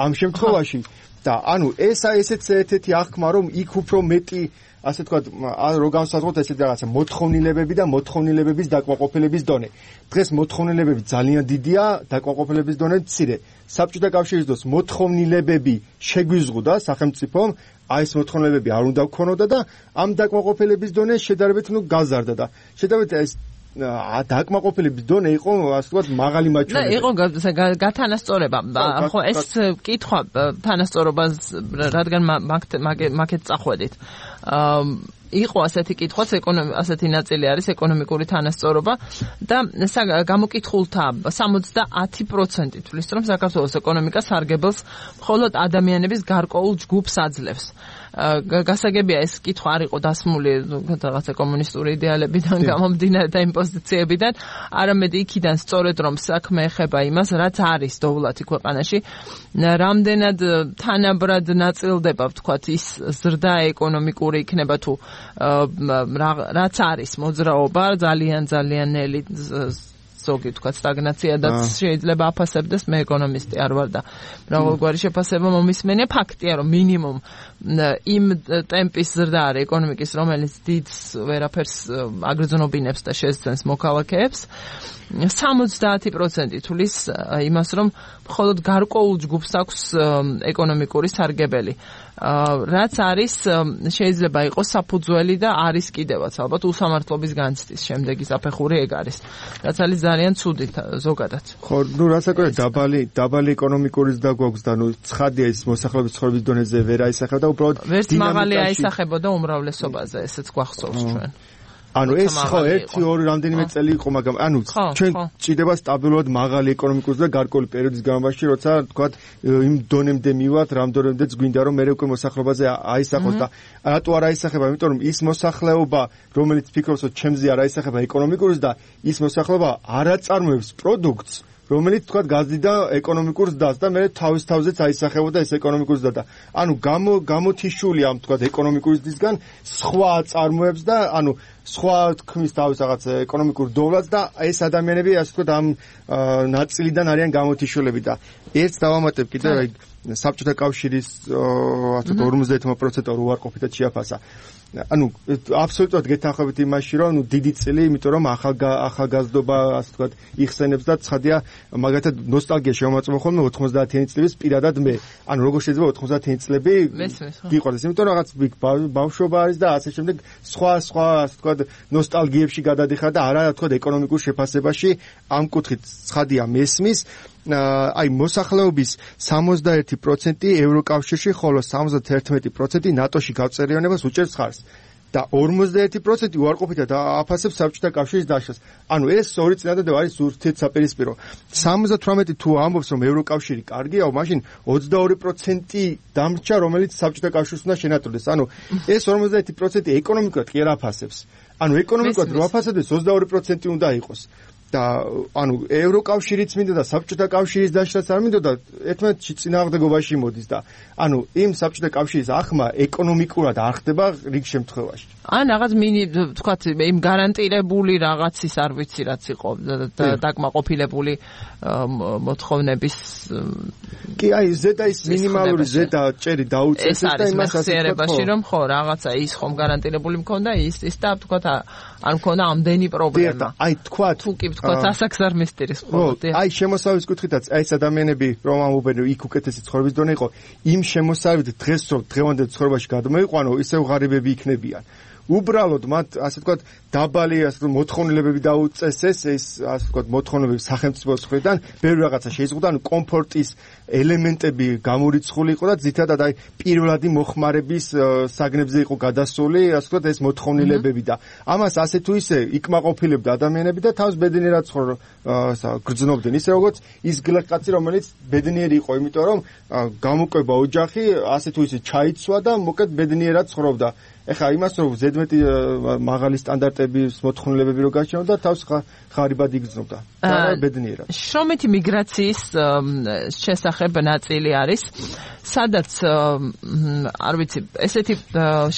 ამ შემთხვევაში და ანუ ესა ესეც ერთ-ერთი აღქმა, რომ იქ უფრო მეტი ასე თქვა რო განსაზღვროთ ესეთ რაღაცა მოთხოვნილებები და მოთხოვნილებების დაკმაყოფილების დონე. დღეს მოთხოვნილებები ძალიან დიდია, დაკმაყოფილების დონე მცირე. საბჭოთა კავშირის დროს მოთხოვნილებები შეგვიზღუდა სახელმწიფომ, აი ეს მოთხოვნილებები არ უნდა გქონოდა და ამ დაკმაყოფილების დონე შედარებით ნუ გაზარდა და შედარებით ეს დაკმაყოფილების დონე იყო ასე ვთქვათ მაღალი მაჩვენებელი. იყო გათანასწორება. ხო ეს კითხვა თანასწორობას რადგან მაგეთ წახვედით. იყო ასეთი კითხვაც, ასეთი ნაწილი არის ეკონომიკური თანასწორობა და გამოკითხულთა სამოცდაათი პროცენტი თვლის, რომ საქართველოს ეკონომიკა სარგებელს მხოლოდ ადამიანების გარკვეულ ჯგუფს აძლევს. გასაგებია ეს კითხვა არ იყო დასმული რაღაცა კომუნისტური იდეალებიდან გამომდინარე და იმ პოზიციებიდან, არამედ იქიდან სწორედ რომ საქმე ეხება იმას, რაც არის დოვლათი ქვეყანაში, რამდენად თანაბრად ნაწილდება ვთქვათ ის ზრდა ეკონომიკური იქნება თუ რაც არის მოძრაობა ძალიან ძალიან ნელი ზოგი თქვა სტაგნაციადაც შეიძლება აფასებდეს, მე ეკონომისტი არ ვარ და მრავალგვარი შეფასება მომისმენია. ფაქტია რომ მინიმუმ იმ ტემპის ზრდა არის ეკონომიკის, რომელიც დიდს ვერაფერს აგრძნობინებს და შესძენს მოქალაქეებს. სამოცდაათი პროცენტი თulis იმას, რომ მხოლოდ გარკვეულ ჯგუფს აქვს ეკონომიკური სარგებელი. რაც არის შეიძლება იყოს საფუძველი და არის კიდევაც ალბათ უსამართლობის განცდის შემდეგი საფეხური ეგ არის. რაც არის ძალიან ცუდი ზოგადად. ხო, ნუ რასაკვირველია დაბალი დაბალი ეკონომიკური ზრდა გვაქვს და ნუ ცხადია ის მოსახლეობის ცხოვრების დონეზე ვერ აისახება და უბრალოდ ვერც მაღალი აისახებოდა უმრავლესობაზე, ესეც გვახსოვს ჩვენ. ანუ ეს ხო ერთი ორი რამდენიმე წელი იყო, მაგრამ ანუ ჩვენ ჭირდება სტაბილურად მაღალი ეკონომიკური და გარკვეული პერიოდის განმავლობაში, როცა თქვათ იმ დონემდე მივათ, რამდენიმდეც გვინდა რომ მე უკვე მოსახლეობაზე აისახოს და რატო არ აისახება, იმიტომ რომ ის მოსახლეობა, რომელიც ფიქრობს, რომ ჩემზე არ აისახება ეკონომიკური და ის მოსახლეობა არ აწარმოებს პროდუქტს, რომელიც თქვა გაზრდა ეკონომიკურ ზრდას და მე თავის თავზეც აისახებოდა ეს ეკონომიკური ზრდა და ანუ გამო გამოთიშული ამ თქვა ეკონომიკური ზრდისგან სხვა აწარმოებს და ანუ სხვა თქმის თავის რაღაც ეკონომიკურ დოვლას და ეს ადამიანები ასე თქვა ამ ნაწილიდან არიან გამოთიშულები და ერთს დავამატებ კიდევ აი საბჭოთა კავშირის ასე ორმოცდაერთი პროცენტი უარყოფითად შეაფასა. ანუ აბსოლუტურად გეთანხმებით იმაში, რომ ნუ დიდი წილი, იმიტომ რომ ახალ ახალგაზრდობა ასე ვთქვათ იხსენებს და ცხადია, მაგათად ნოსტალგია შემოაწმო ხოლმე ოთხმოცდაათიანი წლების პირადად მე. ანუ როგორ შეიძლება ოთხმოცდაათიანი წლები გიყვარდეს, იმიტომ რომ რაღაც ბავშვობა არის და ასე შემდეგ სხვა სხვა ასე ვთქვათ ნოსტალგიებში გადადიხარ და არა ვთქვათ ეკონომიკურ შეფასებაში ამ კუთხით ცხადია მესმის. აი მოსახლეობის სამოცდაერთი პროცენტი ევროკავშირში, ხოლო სამოცდაერთი პროცენტი ნატოში გავწერიანებას უჭერს ხარს და ორმოცდაერთი პროცენტი უარყოფითად აფასებს საბჭოთა კავშირის დაშლას. ანუ ეს ორი წინადადება არის ურთიერთსაპირისპირო. სამოცდათვრამეტი თუ ამბობს რომ ევროკავშირი კარგია, მაშინ ოცდაორი პროცენტი დამრჩა, რომელიც საბჭოთა კავშირს უნდა შენატრდეს. ანუ ეს ორმოცდაერთი პროცენტი ეკონომიკურად კი არ აფასებს. ანუ ეკონომიკურად რო აფასებდეს ოცდაორი პროცენტი უნდა იყოს. და ანუ ევროკავშირიც მინდა და საბჭოთა კავშირის დაშლაც არ მინდა და ერთმანეთში წინააღმდეგობაში მოდის და ანუ იმ საბჭოთა კავშირის ახმა ეკონომიკურად არ ხდება რიგ შემთხვევაში. ან რაღაც მინი თქვათ იმ გარანტირებული რაღაცის არ ვიცი რაც იყო დაკმაყოფილებული მოთხოვნების კი აი ზედა ის მინიმალური ზედა ჭერი დაუწესეს და იმას ასე ვთქვათ რომ ხო რაღაცა ის ხომ გარანტირებული მქონდა ის ის და თქვათ არ მქონდა ამდენი პრობლემა. აი თქვა თუ კი ვთქვა ასაკსარ მისტერის ხოლმე. აი შემოსავლის კუთხითაც აი ეს ადამიანები რომ ამობენ იქ უკეთესი ცხოვრების დონე იყო, იმ შემოსავლით დღეს რომ დღევანდელ ცხოვრებაში გადმოიყვანო, ისევ ღარიბები იქნებიან. უბრალოდ მათ ასე ვთქვათ დაბალი ასე მოთხოვნილებები დაუწესეს ეს ასე ვთქვათ მოთხოვნილებები სახელმწიფოს მხრიდან ბევრი რაღაცა შეიზღუდა ანუ კომფორტის ელემენტები გამორიცხული იყო და ძირითადად აი პირველადი მოხმარების საგნებზე იყო გადასული ასე ვთქვათ ეს მოთხოვნილებები და ამას ასე თუ ისე იკმაყოფილებდა ადამიანები და თავს ბედნიერად გრძნობდნენ ისე როგორც ის გლეხკაცი რომელიც ბედნიერი იყო იმიტომ რომ გამოკვება ოჯახი ასე თუ ისე ჩაიცვა და მოკეთ ბედნიერად ცხოვრობდა ეხლა იმას რომ ზედმეტი მაღალი სტანდარტების მოთხოვნილებები რო გაჩნდა თავს ხარიბად იგრძნობდა და ბედნიერად. შრომითი მიგრაციის შესახებ ნაწილი არის, სადაც არ ვიცი, ესეთი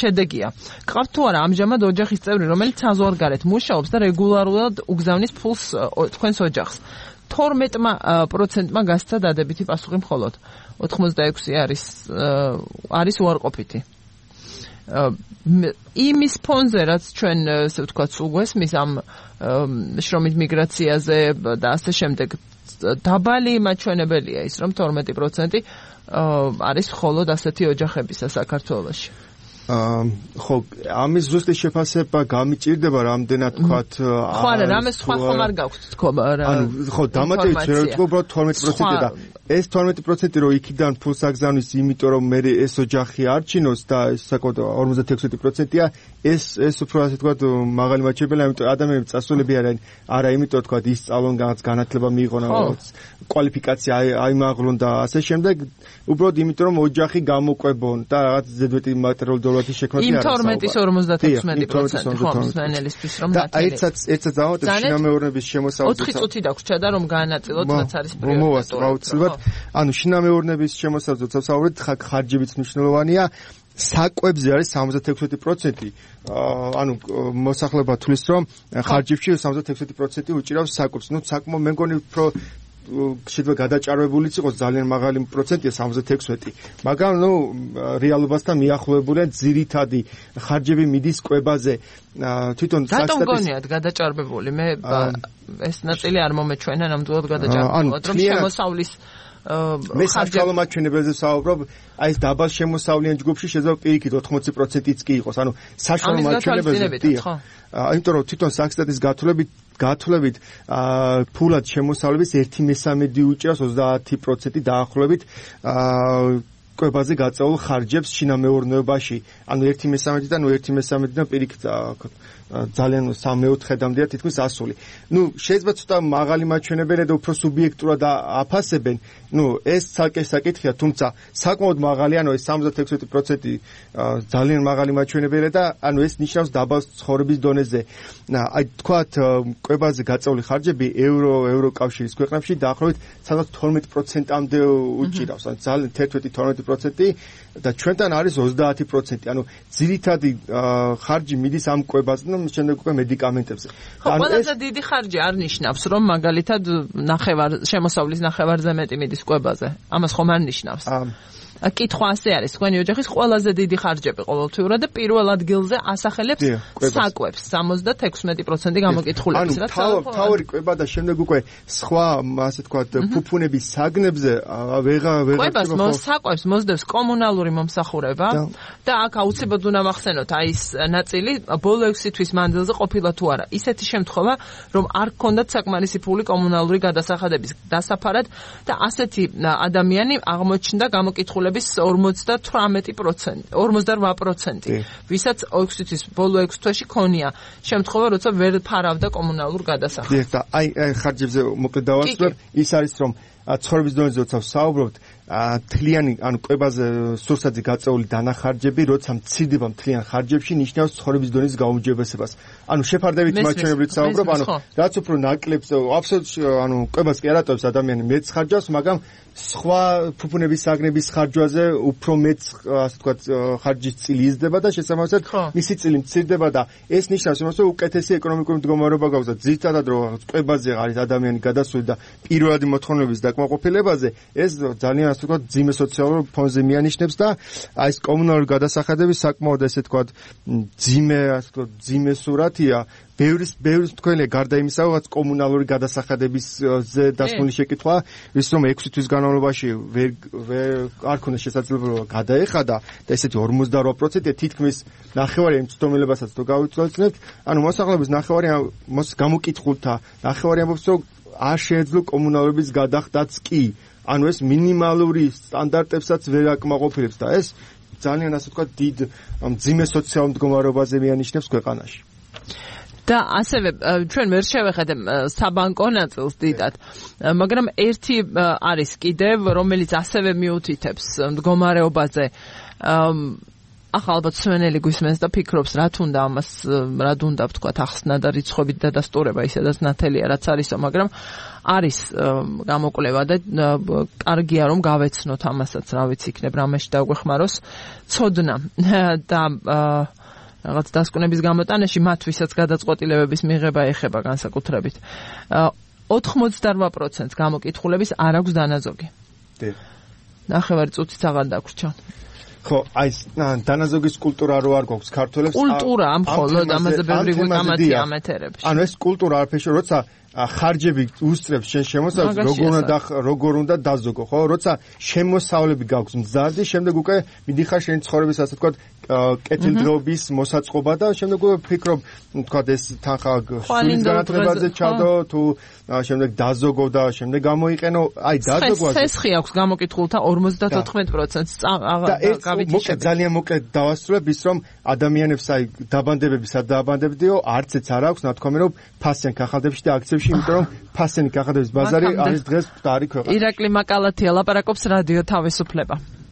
შედეგია. გყავთ თუ არა ამჟამად ოჯახის წევრი, რომელიც საზღვარგარეთ მუშაობს და რეგულარულად უგზავნის ფულს თქვენს ოჯახს. თორმეტ პროცენტმა გასცა დადებითი პასუხი მხოლოდ. ოთხმოცდაექვსი არის არის უარყოფითი. იმის ფონზე რაც ჩვენ ასე ვთქვათ უგვესმის ამ შრომით მიგრაციაზე და ასე შემდეგ დაბალი მაჩვენებელია ის რომ თორმეტი პროცენტი არის მხოლოდ ასეთი ოჯახებისა საქართველოში. ხო, ამის ზუსტი შეფასება გამიჭირდება რამდენად თქვათ ხო არა, რამე სხვა ხომ არ გაქვთ თქო რა. ანუ ხო, დამატებით ვერ ვთქვა უბრალოდ თორმეტი პროცენტი და ეს თორმეტი პროცენტი რო იქიდან ფულს აგზავნის, იმიტომ რომ მე ეს ოჯახი არჩინოს და ეს საკუთარ ორმოცდაექვსი პროცენტია, ეს ეს უფრო ასე ვთქვათ მაღალი მაჩვენებელია, იმიტომ ადამიანები წასულები არიან, არა, იმიტომ ვთქვათ ისწავლონ, განათლება მიიღონ, კვალიფიკაცია აიმაღლონ და ასე შემდეგ, უბრალოდ იმიტომ რომ ოჯახი გამოკვებონ და რაღაც ზედმეტი მატერიალური დოლარი შექმნათ იმ თორმეტის ორმოცდაექვსი პროცენტი ხო მსმენელისთვის რომ და ერთსაც ერთსაც დავამატებ შინამეურნეობის შემოსავლით ოთხი წუთი დაგვრჩა და რომ გაანაწილოთ რაც არის პრიორიტეტი აუცილებლად ანუ შინამეურნეობის შემოსავლით ვსაუბრობთ ხარჯებიც მნიშვნელოვანია საკვებზე არის სამოცდაექვსი პროცენტი ანუ მოსახლეობა თulis რომ ხარჯებში სამოცდაექვსი პროცენტი უჭირავს საკვებს ნუ საკმო მე მგონი უფრო შეიძლება გადაჭარბებულიც იყოს ძალიან მაღალი პროცენტია სამოცდაექვსი მაგრამ ნუ რეალობასთან მიახლოებულია ძირითადი ხარჯები მიდის კვებაზე თვითონ რატომ გონიათ გადაჭარბებული მე ეს ნაწილი არ მომეჩვენა ნამდვილად გადაჭარბებულად რომ შემოსავლის მე საშუალო მაჩვენებელზე ვსაუბრობ აი ეს დაბალ შემოსავლიან ჯგუფში შეიძლება პირიქით ოთხმოცი პროცენტიც კი იყოს ანუ საშუალო მაჩვენებელზე იმიტომ რომ თვითონ საქსტატის გათვლებით გათვლებით ფულად შემოსავლების ერთი მესამედი უჭირავს ოცდაათი პროცენტი დაახლოებით კვებაზე გაწეულ ხარჯებს შინამეურნეობაში ანუ ერთი მესამედი და ნუ ერთი მესამედიდან პირიქით ძალიან სამეოთხედამდეა თითქმის ასული. ნუ შეიძლება ცოტა მაღალი მაჩვენებელია და უფრო სუბიექტურად აფასებენ. ნუ ეს ცალკე საკითხია, თუმცა საკმაოდ მაღალი, ანუ ეს სამოცდაექვსი პროცენტი ძალიან მაღალი მაჩვენებელია და ანუ ეს ნიშნავს დაბალ ცხოვრების დონეზე. აი თქვათ კვებაზე გაწეული ხარჯები ევრო ევროკავშირის ქვეყნებში დაახლოებით სადღაც თორმეტი პროცენტამდე უჭირავს. ანუ ძალიან თერთმეტი თორმეტი პროცენტი და ჩვენთან არის ოცდაათი პროცენტი. ანუ ძირითადი ხარჯი მიდის ამ კვებაზე და შემდეგ უკვე მედიკამენტებზე. ხო, ყველაზე დიდი ხარჯი არ ნიშნავს, რომ მაგალითად ნახევარ შემოსავლის ნახევარზე მეტი მიდის კვებაზე. ამას ხომ არ ნიშნავს. კითხვა ასე არის, თქვენი ოჯახის ყველაზე დიდი ხარჯები ყოველთვიურად და პირველ ადგილზე ასახელებს საკვებს სამოცდაექვსი პროცენტი გამოკითხულების, რაც თავი კვება და შემდეგ უკვე სხვა, ასე ვთქვათ, ფუფუნების საგნებზე ვეღა ვეღა კვებას საკვებს მოსდევს კომუნალური მომსახურება და აქ აუცილებლად უნდა მახსენოთ აი ეს ნაწილი ბოლო ექვსი თვის მანძილზე ყოფილა თუ არა. ისეთი შემთხვევა, რომ არ გქონდათ საკმარისი ფული კომუნალური გადასახადების დასაფარად და ასეთი ადამიანი აღმოჩნდა გამოკითხულების ორმოცდათვრამეტი პროცენტი, ორმოცდაოთხ პროცენტი, ვისაც ექვსი თვის ბოლო ექვსი თვეში ქონია შემთხვევა, როცა ვერ ფარავდა კომუნალურ გადასახადს. და აი ხარჯებზე მოკლედ დავასწრებ, ის არის რომ ცხოვრების დონეზე როცა ვსაუბრობთ, თლიანი ანუ კვებაზე სურსათზე გაწეული დანახარჯები, როცა მცირდება მთლიან ხარჯებში, ნიშნავს ცხოვრების დონის გაუმჯობესებას. ანუ შეფარდებით მაჩვენებლით ვსაუბრობ, ანუ რაც უფრო ნაკლებს, აბსოლუტურად ანუ კვებას კი არატოვებს ადამიანი მეც ხარჯავს, მაგრამ სხვა ფუფუნების საგნების ხარჯვაზე უფრო მეც ასე ვთქვათ ხარჯის წილი იზრდება და შესაბამისად მისი წილი მცირდება და ეს ნიშნავს იმას, რომ უკეთესი ეკონომიკური მდგომარეობა გაქვს და ძირითადად რომ კვებაზე არის ადამიანი გადასული და პირველადი მოთხოვნების დაკმაყოფილებაზე, ეს ძალიან ასე ვთქვათ, ძიმე სოციალურ ფონზე მიანიშნებს და აი ეს კომუნალური გადასახადები საკმაოდ ესე ვთქვათ, ძიმე, ასე ვთქვათ, ძიმე სურათია. ბევრის ბევრის თქვენია გარდა იმისა, რაც კომუნალური გადასახადებისზე დასმული შეკითხვა, ის რომ ექვსი თვის განმავლობაში ვერ ვერ არ ქონდა შესაძლებლობა გადაეხადა და ესეთი ორმოცდაოთხ პროცენტი თითქმის ნახევარი იმ ცდომილებასაც თუ გავიცვალებთ, ანუ მოსახლეობის ნახევარი მოს გამოკითხულთა ნახევარი ამბობს, რომ არ შეეძლო კომუნალურობის გადახდაც კი. ანუ ეს მინიმალური სტანდარტებსაც ვერ აკმაყოფილებს და ეს ძალიან ასე ვთქვათ დიდ ძიმე სოციალურ მდგომარეობაზე მიანიშნებს ქვეყანაში. და ასევე ჩვენ ვერ შევეხედებ საბანკო ნაწილს დიდად, მაგრამ ერთი არის კიდევ, რომელიც ასევე მიუთითებს მდგომარეობაზე. ახლა ალბათ სვენელი გვისმენს და ფიქრობს, რა თუნდა ამას, რა თუნდა ვთქვათ, ახსნა და რიცხვებით დადასტურება, ისედაც ნათელია რაც არისო, მაგრამ არის გამოკვლევა და კარგია რომ გავეცნოთ ამასაც, რა ვიცი, იქნებ რამეში დაგვეხმაროს ცოდნა და რაღაც დასკვნების გამოტანაში მათ ვისაც გადაწყვეტილებების მიღება ეხება განსაკუთრებით. ოთხმოცდაოთხ პროცენტს გამოკითხულების არ აქვს დანაზოგი. დიახ. ნახევარი წუთიც აღარ დაგვრჩა. ხო, აი დანაზოგის კულტურა რო არ გვაქვს ქართველებს. კულტურა ამ მხოლოდ ამაზე ბევრი გვინამათია ამეთერებს. ანუ ეს კულტურა არაფერში, როცა ხარჯები უსწრებს შენ შემოსავლებს, როგორ უნდა როგორ უნდა დაზოგო, ხო? როცა შემოსავლები გაქვს მზარდი, შემდეგ უკვე მიდიხარ შენი ცხოვრების ასე ვთქვათ, კეთილდღეობის მოსაწყობა და შემდეგ უკვე ფიქრობ, ვთქვათ, ეს თანხა სულის განათლებაზე ჩადო, თუ შემდეგ დაზოგო და შემდეგ გამოიყენო, აი დაზოგვაზე. ცესხი აქვს გამოკითხულთა ორმოცდათოთხმეტ პროცენტს გავიტი შე. ძალიან მოკლედ დავასრულებ ის, რომ ადამიანებს აი დაბანდებები სად დააბანდებდიო, არც ეც არ აქვს ნათქვამი, რომ ფასიან კახალდებში და აქციებში, იმიტომ რომ ფასიანი კახალდების ბაზარი არის დღეს მკვდარი ქვეყანა. ირაკლი მაკალათია ლაპარაკობს რადიო თავისუფლება.